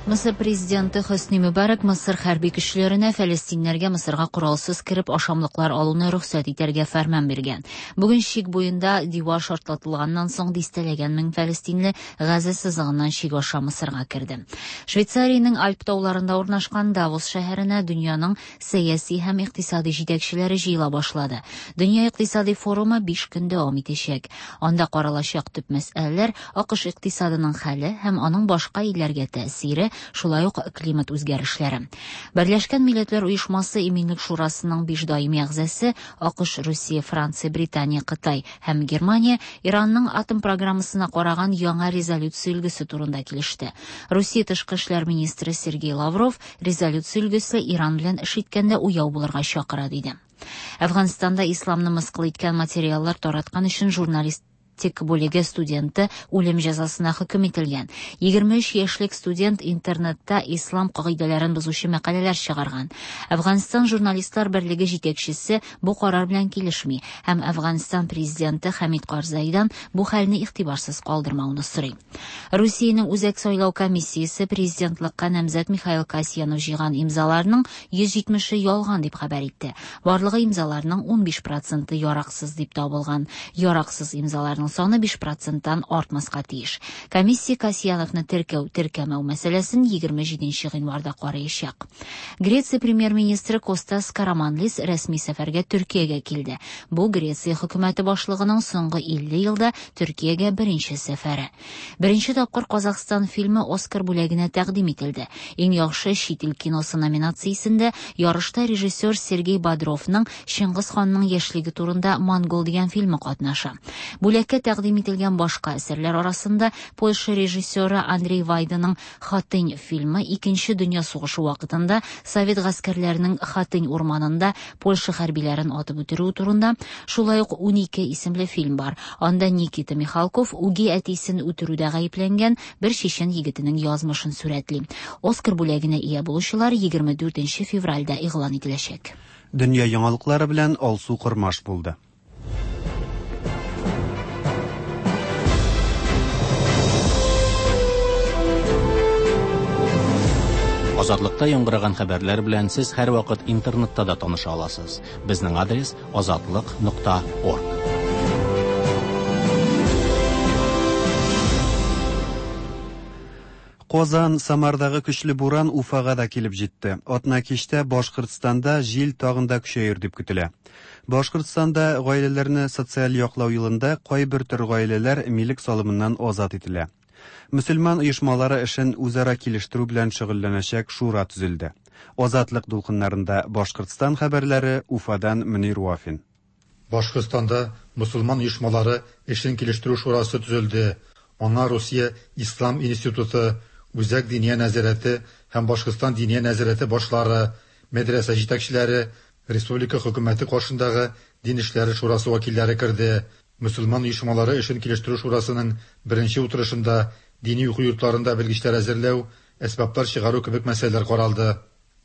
Мысыр президенты Хөсни Мөбарәк Мысыр хәрби көчләренә фәлестиннәргә Мысырга коралсыз кереп ашамлыклар алуны рөхсәт итәргә фәрман биргән. Бүген чик буенда дивар шартлатылганнан соң дистәләгән мең фәлестинле Газа сызыгыннан чик аша Мысырга керде. Швейцариянең Альп тауларында урнашкан Давос шәһәренә дөньяның сәяси һәм икътисади җитәкчеләре җыела башлады. Дөнья икътисади форумы 5 көн дәвам итәчәк. Анда каралачак төп мәсьәләләр АКШ икътисадының хәле һәм аның башка илләргә тәэсире, шулай ук климат үзгәрешләре. Берләшкән Милләтләр Оешмасы Иминлек Шурасының 5 даими әгъзасы АКШ, Русия, Франция, Британия, Кытай һәм Германия Иранның атом программасына караган яңа резолюция өлгесе турында килеште. Русия тышкы эшләр министры Сергей Лавров резолюция өлгесе Иран белән эш иткәндә уяу булырга чакыра диде. Әфганстанда исламны мыскыл иткән материаллар тараткан өчен журналист тик бүлеге студенты үлем җәзасына хөкем ителгән. 23 яшьлек студент интернетта ислам кагыйдәләрен бозучы мәкаләләр чыгарган. Әфганстан журналистлар берлеге җитәкчесе бу карар белән килешми һәм Әфганстан президенты Хәмид Карзайдан бу хәлне игътибарсыз калдырмауны сорый. Русиянең Үзәк сайлау комиссиясе президентлыкка намзәт Михаил Касьянов җыйган имзаларның 170-е ялган дип хәбәр итте. Барлыгы имзаларның 15 проценты яраксыз дип табылган. Яраксыз имзаларның саны 5 проценттан артмаска тиеш. Комиссия Касьяновны теркәү, теркәмәү мәсьәләсен 27 гыйнварда караячак. Греция премьер-министры Костас Караманлис рәсми сәфәргә Төркиягә килде. Бу Греция хөкүмәте башлыгының соңгы 50 елда Төркиягә беренче сәфәре. Беренче тапкыр Казахстан фильмы Оскар бүләгенә тәкъдим ителде. Иң яхшы чит ил киносы номинациясендә ярышта режиссер Сергей Бодровның Чыңгыз ханның яшьлеге турында Монгол дигән фильмы катнаша. Бүләккә тәкъдим ителгән башка әсәрләр арасында Польша режиссеры Андрей Вайданың Хатынь фильмы Икенче дөнья сугышы вакытында совет гаскәрләренең Хатынь урманында Польша хәрбиләрен атып үтерүе турында, шулай ук 12 исемле фильм бар. Анда Никита Михалков үги әтисен үтерүдә гаепләнгән бер чечен егетенең язмышын сурәтли. Оскар бүләгенә ия булучылар 24 февральдә игълан ителәчәк. Дөнья яңалыклары белән Алсу Кормаш булды. Азатлыкта яңгыраган хәбәрләр белән сез һәрвакыт интернетта да таныша аласыз. Безнең адрес азатлык.орг. Казан, Самардагы көчле буран Уфага да килеп җитте. Атна кичтә Башкортстанда җил тагын да көчәер дип көтелә. Башкортстанда гаиләләрне социаль яклау елында кайбер төр гаиләләр милек салымыннан азат ителә. Мөселман оешмалары эшен үзара килештерү белән шөгыльләнәчәк шура төзелде. Азатлык дулкыннарында Башкортстан хәбәрләре, Уфадан Мөнир Вафин. Башкортстанда мөселман оешмалары эшен килештерү шурасы төзелде. Аңа Русия ислам институты, Үзәк диния нәзарәте һәм Башкортстан диния нәзарәте башлары, мәдрәсә җитәкчеләре, республика хөкүмәте каршындагы дин эшләре шурасы вәкилләре керде. Мөселман оешмалары эшен килештерү шурасының беренче утырышында дини уку йортларында белгечләр әзерләү, әсбаплар чыгару кебек мәсьәләләр каралды.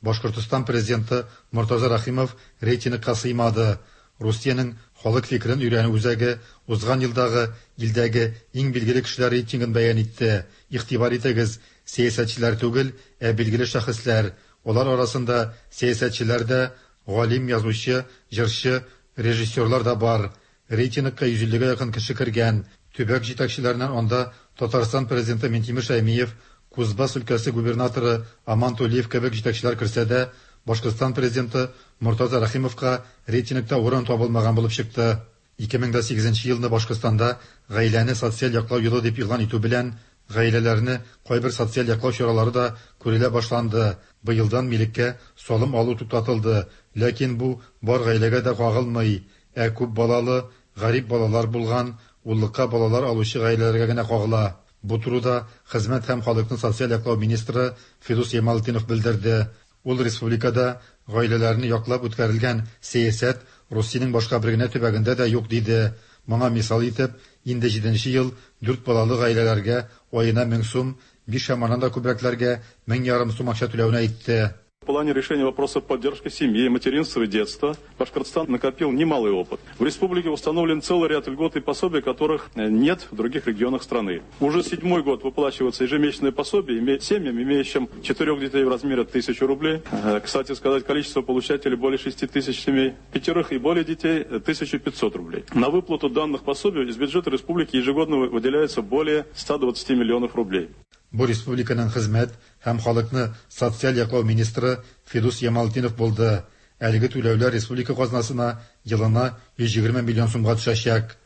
Башкортостан президенты Мортаза Рәхимов рейтингка сыймады. Русиянең халык фикерен өйрәнү үзәге узган елдагы илдәге иң билгеле кешеләр рейтингын бәян итте. Игътибар итегез, сәясәтчеләр түгел, ә билгеле шәхесләр. Алар арасында сәясәтчеләр дә, галим, язучы, җырчы, режиссерлар да бар. Рейтингка 150 гә якын кеше кергән. Төбәк җитәкчеләреннән анда Татарстан президенты Минтимер Шәймиев, Кузбасс өлкәсе губернаторы Аман Тулиев кебек җитәкчеләр керсә дә, Башкортстан президенты Мортаза Рәхимовка рейтингта урын табылмаган булып чыкты. 2008 елны Башкортстанда гаиләне социаль яклау елы дип игълан итү белән, гаиләләрне кайбер социаль яклау чаралары да күрелә башланды. Быелдан милеккә салым алу туктатылды, ләкин бу бар гаиләгә дә кагылмый, ә күп балалы, гарип балалар булган, уллыкка балалар алучы гаиләләргә генә кагыла. Бу турыда Хезмәт һәм халыкны социаль яклау министры Фидус Ямалтдинов белдерде. Ул республикада гаиләләрне яклап үткәрелгән сәясәт Русиянең башка бер генә төбәгендә дә юк диде. Моңа мисал итеп, инде җиденче ел дүрт балалы гаиләләргә аена 1000 сум, биш һәм аннан да күбрәкләргә 1500 сум акча түләүне әйтте. В плане решения вопросов поддержки семьи, материнства и детства Башкортостан накопил немалый опыт. В республике установлен целый ряд льгот и пособий, которых нет в других регионах страны. Уже седьмой год выплачиваются ежемесячные пособия семьям, имеющим четырех детей в размере 1000 рублей. Кстати сказать, количество получателей более 6 тысяч семей, пятерых и более детей 1500 рублей. На выплату данных пособий из бюджета республики ежегодно выделяется более 120 миллионов рублей. Бу республиканың хезмәт һәм халыкны социаль яклау министры Фидус Ямалтдинов булды. Әлеге түләүләр республика казнасына елына 120 миллион сумга төшәчәк.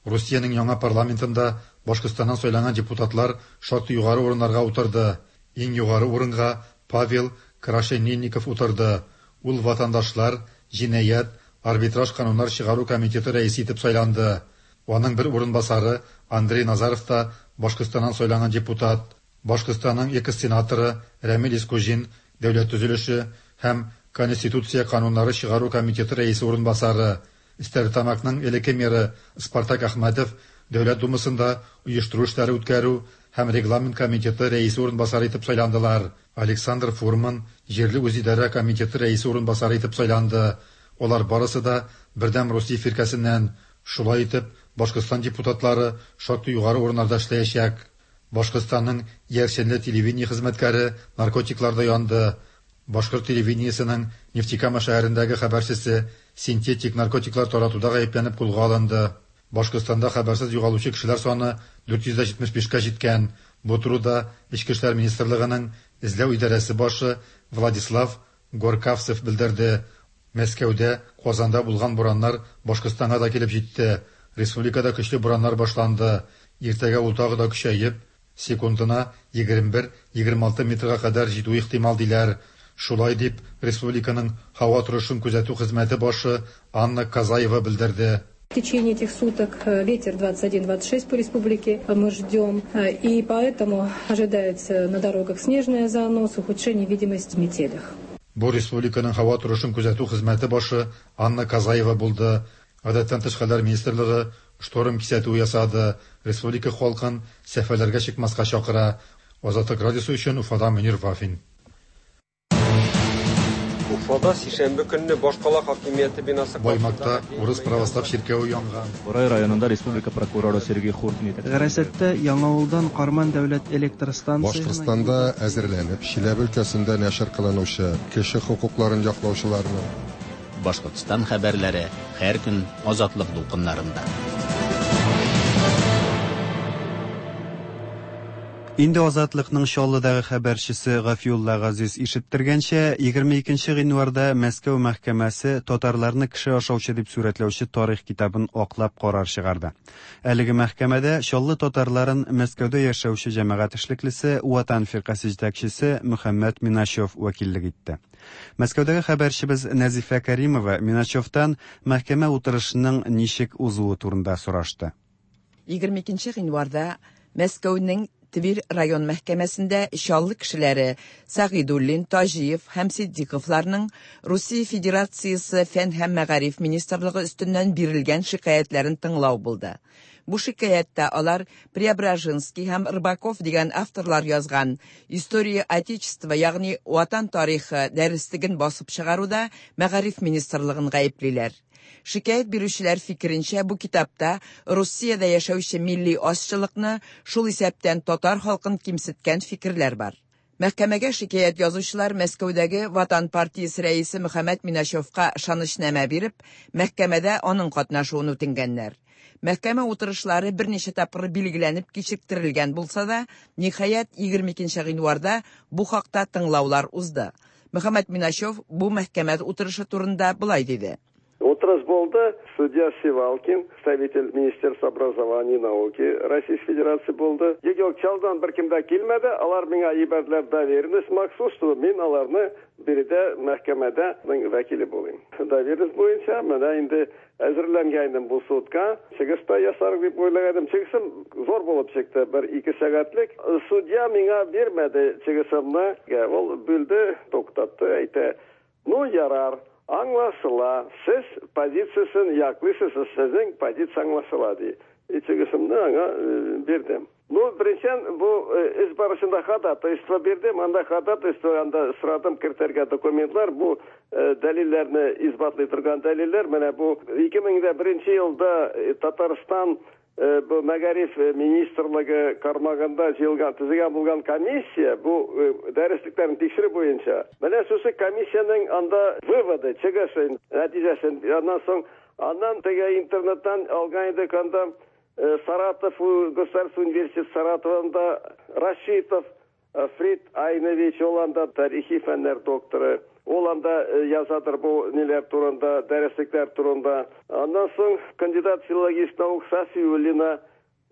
Русиянең яңа парламентында Башкортстаннан сайланган депутатлар шактый югары урыннарга утырды. Иң югары урынга Павел Крашенинников утырды. Ул ватандашлар, җинаять, арбитраж кануннар чыгару комитеты рәисе итеп сайланды. Аның бер урынбасары Андрей Назаров та Башкортстаннан сайланган депутат. Башкортстанның экс-сенаторы Рәмил Искуҗин дәүләт төзелеше һәм Конституция кануннары чыгару комитеты рәисе урынбасары, Стәрлетамакның элекке мэры Спартак Әхмәтов Дәүләт Думасында оештыру эшләре үткәрү һәм регламент комитеты рәисе урынбасары итеп сайландылар. Александр Фурман җирле үзидарә комитеты рәисе урынбасары итеп сайланды. Алар барысы да Бердәм Русия фиркәсеннән. Шулай итеп, Башкортстан депутатлары шактый югары урыннарда эшләячәк. Башкортстанның иярченле телевидение хезмәткәре наркотикларда янды. Башкорт телевидениесенең Нефтекама шәһәрендәге хәбәрчесе синтетик наркотиклар таратуда гаепләнеп кулга алынды. Башкортстанда хәбәрсез югалучы кешеләр саны 475 кә җиткән. Бу турыда Эчке эшләр министрлыгының эзләү идарәсе башы Владислав Горкавцев белдерде. Мәскәүдә, Казанда булган бураннар Башкортстанга да килеп җитте. Республикада көчле бураннар башланды. Иртәгә ул тагы да көчәеп, секундына 21-26 метрга кадәр җитүе ихтимал диләр. Шулай дип, республиканың һава торышын күзәтү хезмәте башы Анна Казаева белдерде. В течение этих суток ветер 21-26 по республике мы ждем, и поэтому ожидается на дорогах снежный занос, ухудшение видимости в метелях. Бу республиканың һава торышын күзәтү хезмәте башы Анна Казаева булды. Гадәттән тыш хәлләр министрлыгы шторм кисәтүе ясады, республика халкын сәфәрләргә чыкмаска чакыра. Азатлык радиосы өчен Уфадан Мөнир Вафин. Уфада сишәмбе көнне башкала хакимияте бинасы Баймакта урыс православ чиркәве янган. Борай районында республика прокуроры Сергей Хуртин итәкчелегендәге Гарасаттә Яңавылдан Карман дәүләт электр станциясенә Башкортстанда әзерләнеп, Чиләбе өлкәсендә нәшер кылынучы кеше хокукларын яклаучыларның, Башкортстан хәбәрләре һәр көн Азатлык дулкыннарында. Инде Азатлыкның Чаллыдагы хәбәрчесе Гафиулла Газиз ишеттергәнчә, 22 гыйнварда Мәскәү мәхкәмәсе татарларны кеше ашаучы дип сурәтләүче тарих китабын аклап карар чыгарды. Әлеге мәхкәмәдә Чаллы татарларын Мәскәүдә яшәүче җәмәгать эшлеклесе, Ватан фиркасе җитәкчесе Мөхәммәт Миначев вәкиллек итте. Мәскәүдәге хәбәрчебез Нәзифә Кәримова Миначевтан мәхкәмә утырышының ничек узуы турында сорашты. 22 гыйнварда Мәскәүнең Тверь район мәхкәмәсендә Чаллы кешеләре Сәгыйдуллин, Таҗиев һәм Ситдиковларның Русия Федерациясе Фән һәм мәгариф министрлыгы өстеннән бирелгән шикаятьләрен тыңлау булды. Бу шикаятьтә алар Преображенский һәм Рыбаков дигән авторлар язган История Отечества, ягъни Ватан тарихы дәреслеген басып чыгаруда мәгариф министрлыгын гаеплиләр. Шикаять бирүчеләр фикеренчә, бу китапта Русиядә яшәүче милли азчылыкны, шул исәптән татар халкын кимсеткән фикерләр бар. Мәхкәмәгә шикаять язучылар Мәскәүдәге Ватан партиясе рәисе Мөхәммәт Миначевка ышанычнамә биреп, мәхкәмәдә аның катнашуын үтенгәннәр. Мәхкәмә утырышлары берничә тапкыр билгеләнеп кичектерелгән булса да, ниһаять, 22 гыйнварда бу хакта тыңлаулар узды. Мөхәммәт Миначев бу мәхкәмә утырышы турында болай диде. Утырыш булды. Судья Сивалкин, представитель Министерства образования и науки Российской Федерации булды. Юк, Чаллыдан беркем дә килмәде. Алар миңа җибәрделәр доверенность махсус, чтобы мин аларны биредә мәхкәмәдә вәкиле булыйм. Доверенность буенча менә инде әзерләнгән идем бу судка. Чыгыш та ясар дип уйлаган идем. Чыгышым зур булып чыкты, бер ике сәгатьлек. Судья миңа бирмәде чыгышымны. Ул бүлде, туктатты, әйтә: "Ну, ярар, аңлашыла, сез позициясен яклыйсыз, сезнең позиция аңлашыла", ди. И чыгышымны аңа бирдем. Ну, беренчедән, бу эш барышында ходатайство бирдем. Анда ходатайство, анда сорадым кертергә документлар, бу дәлилләрне исбатлый торган дәлилләр. Менә бу 2001 елда Татарстан бу мәгариф министрлыгы кармагында җыелган, төзегән булган комиссия бу дәреслекләрне тикшерү буенча. Менә шушы комиссиянең анда выводы, чыгышы, нәтиҗәсен. Аннан соң аннан теге интернеттан алган идек анда Саратов государственный университет Саратовында Рашитов Фрид Айнович, ул анда тарихи фәннәр докторы. Ул анда язадыр бу ниләр турында, дәреслекләр турында. Аннан соң кандидат филологических наук Сафиуллина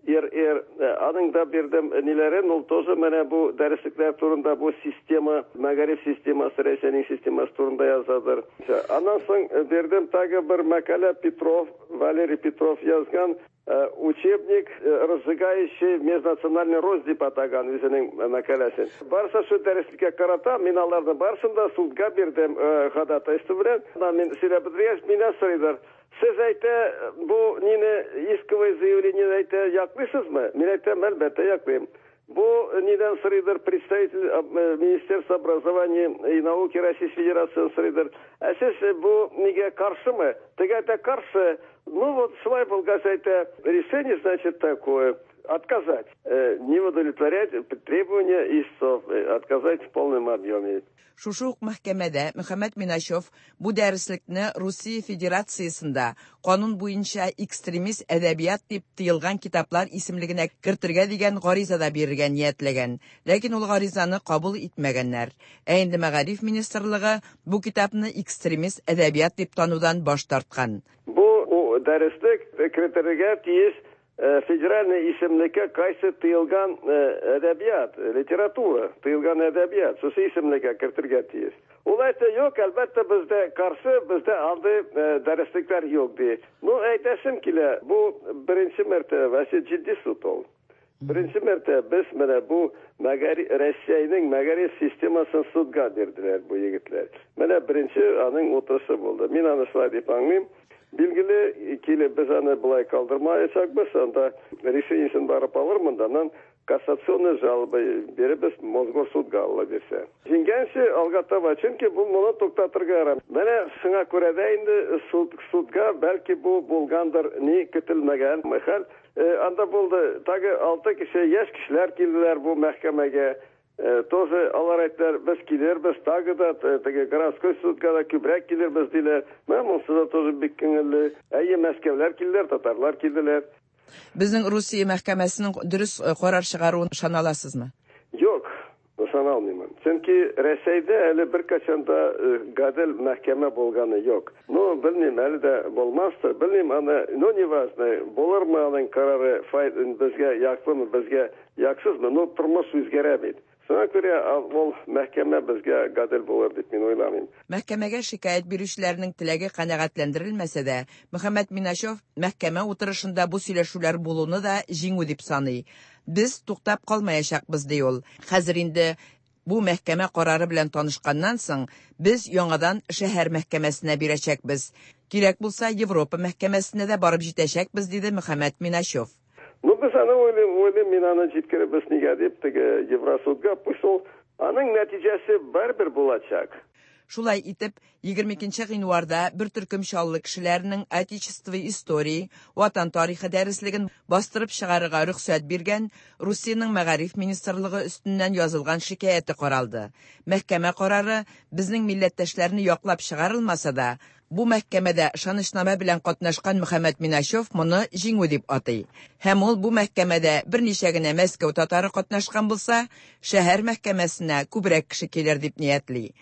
РР, аның да бирдем ниләрен, ул тоже менә бу дәреслекләр турында, бу система, мәгариф системасы, Рәсәйнең системасы турында язадыр. Аннан соң бирдем тагы бер мәкалә Петров, Валерий Петров язган учебник, разжигающий межнациональный рознь дип атаган үзенең мәкаләсен. Барысы шу дәреслеккә карата, мин аларны барысын да судка бирдем ходатайство белән. Мин сөйләп бетергәч, миннән сорыйлар: "Сез, әйтә, бу нине, исковое заявление, әйтә, яклыйсызмы?" Мин әйтәм: "Әлбәттә, яклыйм". Бу нидән сорыйдыр, представитель Министерства образования и науки Российской Федерации сорыйдыр: "Ә сез бу нигә каршымы?" Теге әйтә: "Каршы". Ну вот, шулай булгач, әйтә, решение, значит, такое: отказать, не удовлетворять требования истцов, отказать в полном объеме. Шушы ук мәхкәмәдә Мөхәммәт Миначев бу дәреслекне Русия Федерациясендә канун буенча экстремист әдәбият дип тыелган китаплар исемлегенә кертергә дигән гариза да бирергә ниятләгән. Ләкин ул гаризаны кабул итмәгәннәр. Ә инде мәгариф министрлыгы бу китапны экстремист әдәбият дип танудан баш тарткан. Бу дәреслек кертергә тиеш федеральный исемлеккә кайсы тыелган әдәбият, литература, тыелган әдәбият, шушы исемлеккә кертергә тиеш. Ул әйтә: "Юк, әлбәттә, бездә каршы, бездә андый дәреслекләр юк", ди. Ну, әйтәсем килә, бу беренче мәртәбә, вообще җитди суд ул. Беренче мәртәбә без менә бу Россиянең мәгариф системасын судка бирделәр бу егетләр. Менә беренче аның утырышы булды. Мин аны шулай дип аңлыйм. Билгеле, килеп без аны болай калдырмаячакбыз, анда решениесен барып алырмын да, аннан кассационный жалоба бирәбез Мосгорсудка, Алла бирсә. Җиңгәнче алга таба, чөнки бу моны туктатырга ярам. Менә шуңа күрә дә инде суд, судка бәлки бу булгандыр ни көтелмәгән хәл. Анда булды тагы алты кеше, яшь кешеләр килделәр бу мәхкәмәгә. Тоже алар әйттеләр: "Без килербез, тагы да теге городской судка да күбрәк килербез", диләр. Менә монысы да тоже бик күңелле. Әйе, Мәскәүләр килделәр, татарлар килделәр. Безнең Русия мәхкәмәсенең дөрес карар чыгаруын ышана аласызмы? Юк, ышана алмыймын. Чөнки Рәсәйдә әле беркайчан да гадел мәхкәмә булганы юк. Ну, белмим, әле дә булмастыр, белмим аны, ну, неважно, булырмы аның карары, фай, безгә яклымы, безгә яксызмы, ну, тормыш үзгәрә бит. Шуңа күрә ул мәхкәмә безгә гадел булыр дип мин уйламыйм. Мәхкәмәгә шикаять бирүчеләрнең теләге канәгатьләндерелмәсә дә, Мөхәммәт Миначев мәхкәмә утырышында бу сөйләшүләр булуны да җиңү дип саный. Без туктап калмаячакбыз, ди ул. Хәзер инде бу мәхкәмә карары белән танышканнан соң, без яңадан шәһәр мәхкәмәсенә бирәчәкбез. Кирәк булса, Европа мәхкәмәсенә дә барып җитәчәкбез, диде Мөхәммәт Миначев. Ну, без аны уйлыйм, уйлыйм, мин аны җиткеребез нигә дип, теге Евросудга, пусть ул, аның нәтиҗәсе барыбер булачак. Шулай итеп, 22 нче гыйнварда бер төркем Чаллы кешеләренең Отечество истории, Ватан тарихы дәреслеген бастырып чыгарырга рөхсәт биргән Русиянең Мәгариф министрлыгы өстеннән язылган шикаяте каралды. Мәхкәмә карары безнең милләттәшләрне яклап чыгарылмаса да, бу мәхкәмәдә ышанычнамә белән катнашкан Мөхәммәт Миначев моны җиңү дип атый. Һәм ул бу мәхкәмәдә берничә генә Мәскәү татары катнашкан булса, шәһәр мәхкәмәсенә күбрәк кеше килер дип ниятли.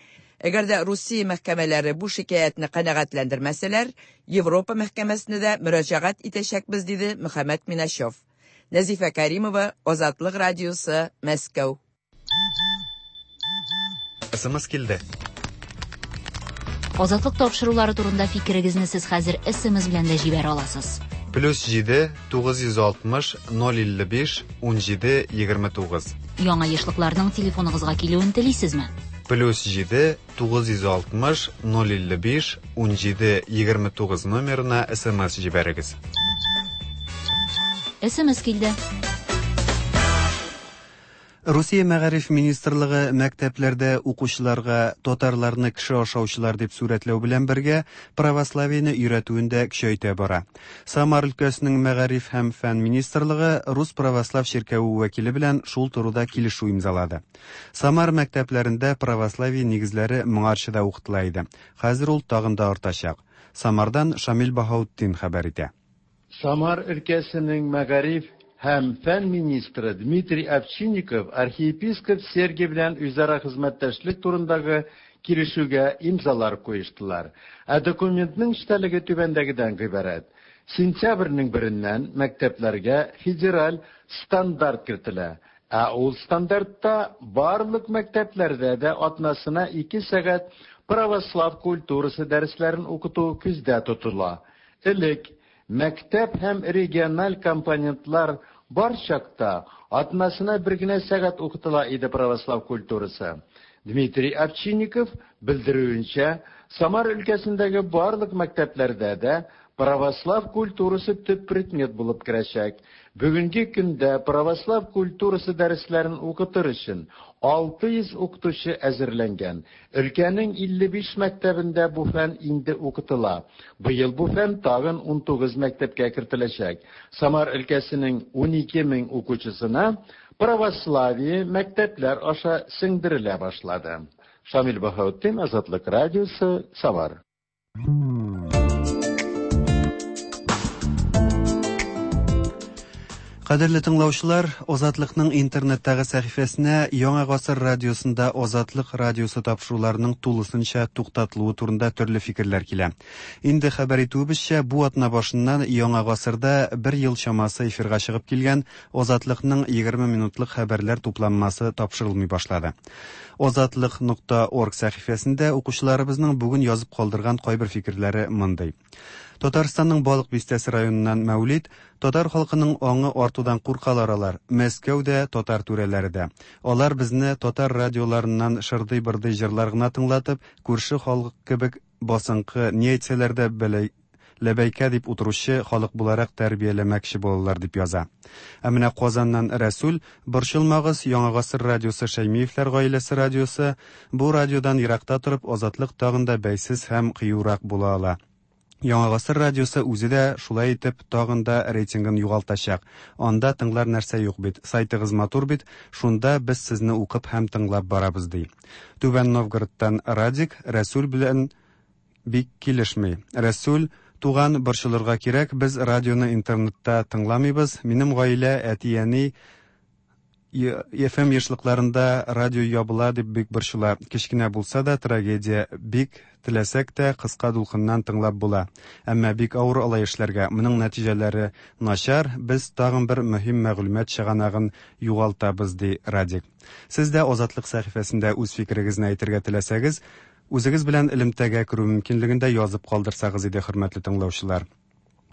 Әгәр дә Русия мәхкәмәләре бу шикаятьне канәгатьләндермәсәләр, Европа мәхкәмәсенә дә мөрәҗәгать итәчәкбез, диде Мөхәммәт Миначев. Нәзифә Кәримова, Азатлык радиосы, Мәскәү. СМС килде. Азатлык тапшырулары турында фикерегезне сез хәзер СМС белән дә җибәрә аласыз. Плюс 7 960 055 17 29. Яңа ешлыкларның телефоныгызга килүен телисезме? Плюс 7 960 055 17 29 номерына СМС җибәрегез. СМС килде. Русия мәгариф министрлыгы мәктәпләрдә укучыларга татарларны кеше ашаучылар дип сурәтләү белән бергә православиене өйрәтүен дә көчәйтә бара. Самар өлкәсенең мәгариф һәм фән министрлыгы Рус православ чиркәве вәкиле белән шул турыда килешү имзалады. Самар мәктәпләрендә православие нигезләре моңарчы да укытыла иде. Хәзер ул тагын да артачак. Самардан Шамил Баһаутдин хәбәр итә. Самар өлкәсенең мәгариф һәм фән министры Дмитрий Овчинников архиепископ Сергий белән үзара хезмәттәшлек турындагы килешүгә имзалар куештылар. Ә документның эчтәлеге түбәндәгедән гыйбарәт. Сентябрьнең береннән мәктәпләргә федераль стандарт кертелә. Ә ул стандартта барлык мәктәпләрдә дә атнасына ике сәгать православ культурасы дәресләрен укыту күздә тотыла. Элек, мәктәп һәм региональ компонентлар бар чакта, атнасына бер генә сәгать укытыла иде православ культурасы. Дмитрий Овчинников белдерүенчә, Самар өлкәсендәге барлык мәктәпләрдә дә православ культурасы төп предмет булып керәчәк. Бүгенге көндә православ культурасы дәресләрен укытыр өчен 600 укытучы әзерләнгән. Өлкәнең 55 мәктәбендә бу фән инде укытыла. Быел бу фән тагын 19 мәктәпкә кертеләчәк. Самар өлкәсенең 12 мең укучысына православие мәктәпләр аша сеңдерелә башлады. Шамил Баһаутдин, Азатлык радиосы, Самар. Кадерле тыңлаучылар, Азатлыкның интернеттагы сәхифәсенә Яңа гасыр радиосында Азатлык радиосы тапшыруларының тулысынча туктатылуы турында төрле фикерләр килә. Инде хәбәр итүебезчә, бу атна башыннан Яңа гасырда бер ел чамасы эфирга чыгып килгән Азатлыкның 20 минутлык хәбәрләр тупланмасы тапшырылмый башлады. Азатлык нокта орг сәхифәсендә укучыларыбызның бүген язып калдырган кайбер фикерләре мондый. Татарстанның Балык Бистәсе районыннан Мәүлид, Татар халкының аңы артудан куркалар алар, Мәскәү дә, татар түрәләре дә. Алар безне татар радиоларыннан шырдый-бырдый җырлар гына тыңлатып, күрше халык кебек басынкы, ни әйтсәләр дә бәләй, ләбәйкә дип утыручы халык буларак тәрбияләмәкче булалар, дип яза. Ә менә Казаннан Рәсүл, Борчылмагыз, Яңа гасыр радиосы Шәймиевләр гаиләсе радиосы, бу радиодан еракта торып, Азатлык тагын да бәйсез һәм кыюрак була ала. Яңа гасыр радиосы үзе дә шулай итеп тагын да рейтингын югалтачак. Анда тыңлар нәрсә юк бит, сайтыгыз матур бит, шунда без сезне укып һәм тыңлап барабыз, ди. Түбән Новгородтан Радик, Рәсүл белән бик килешми. Рәсүл, Туган, борчылырга кирәк, без радионы интернетта тыңламыйбыз. Минем гаилә, әти-әни FM ешлыкларында радио ябыла дип бик борчыла. Кечкенә булса да трагедия. Бик теләсәк тә кыска дулкыннан тыңлап була. Әмма бик авыр алай эшләргә. Моның нәтиҗәләре начар. Без тагын бер мөһим мәгълүмат чыганагын югалтабыз, ди Радик. Сез дә Азатлык сәхифәсендә үз фикерегезне әйтергә теләсәгез, үзегез белән элемтәгә керү мөмкинлеген дә язып калдырсагыз иде, хөрмәтле тыңлаучылар.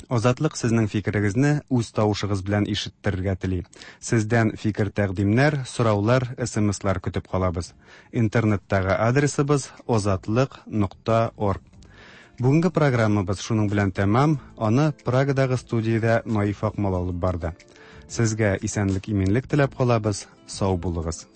Азатлык сезнең фикерегезне үз тавышыгыз белән ишеттерергә тели. Сездән фикер-тәкъдимнәр, сораулар, СМСлар көтеп калабыз. Интернеттагы адресыбыз озатлык нокта орг. Бүгенге программабыз шуның белән тәмам, аны Прагадагы студиядә Наиф Акмал алып барды. Сезгә исәнлек-иминлек теләп калабыз, сау булыгыз.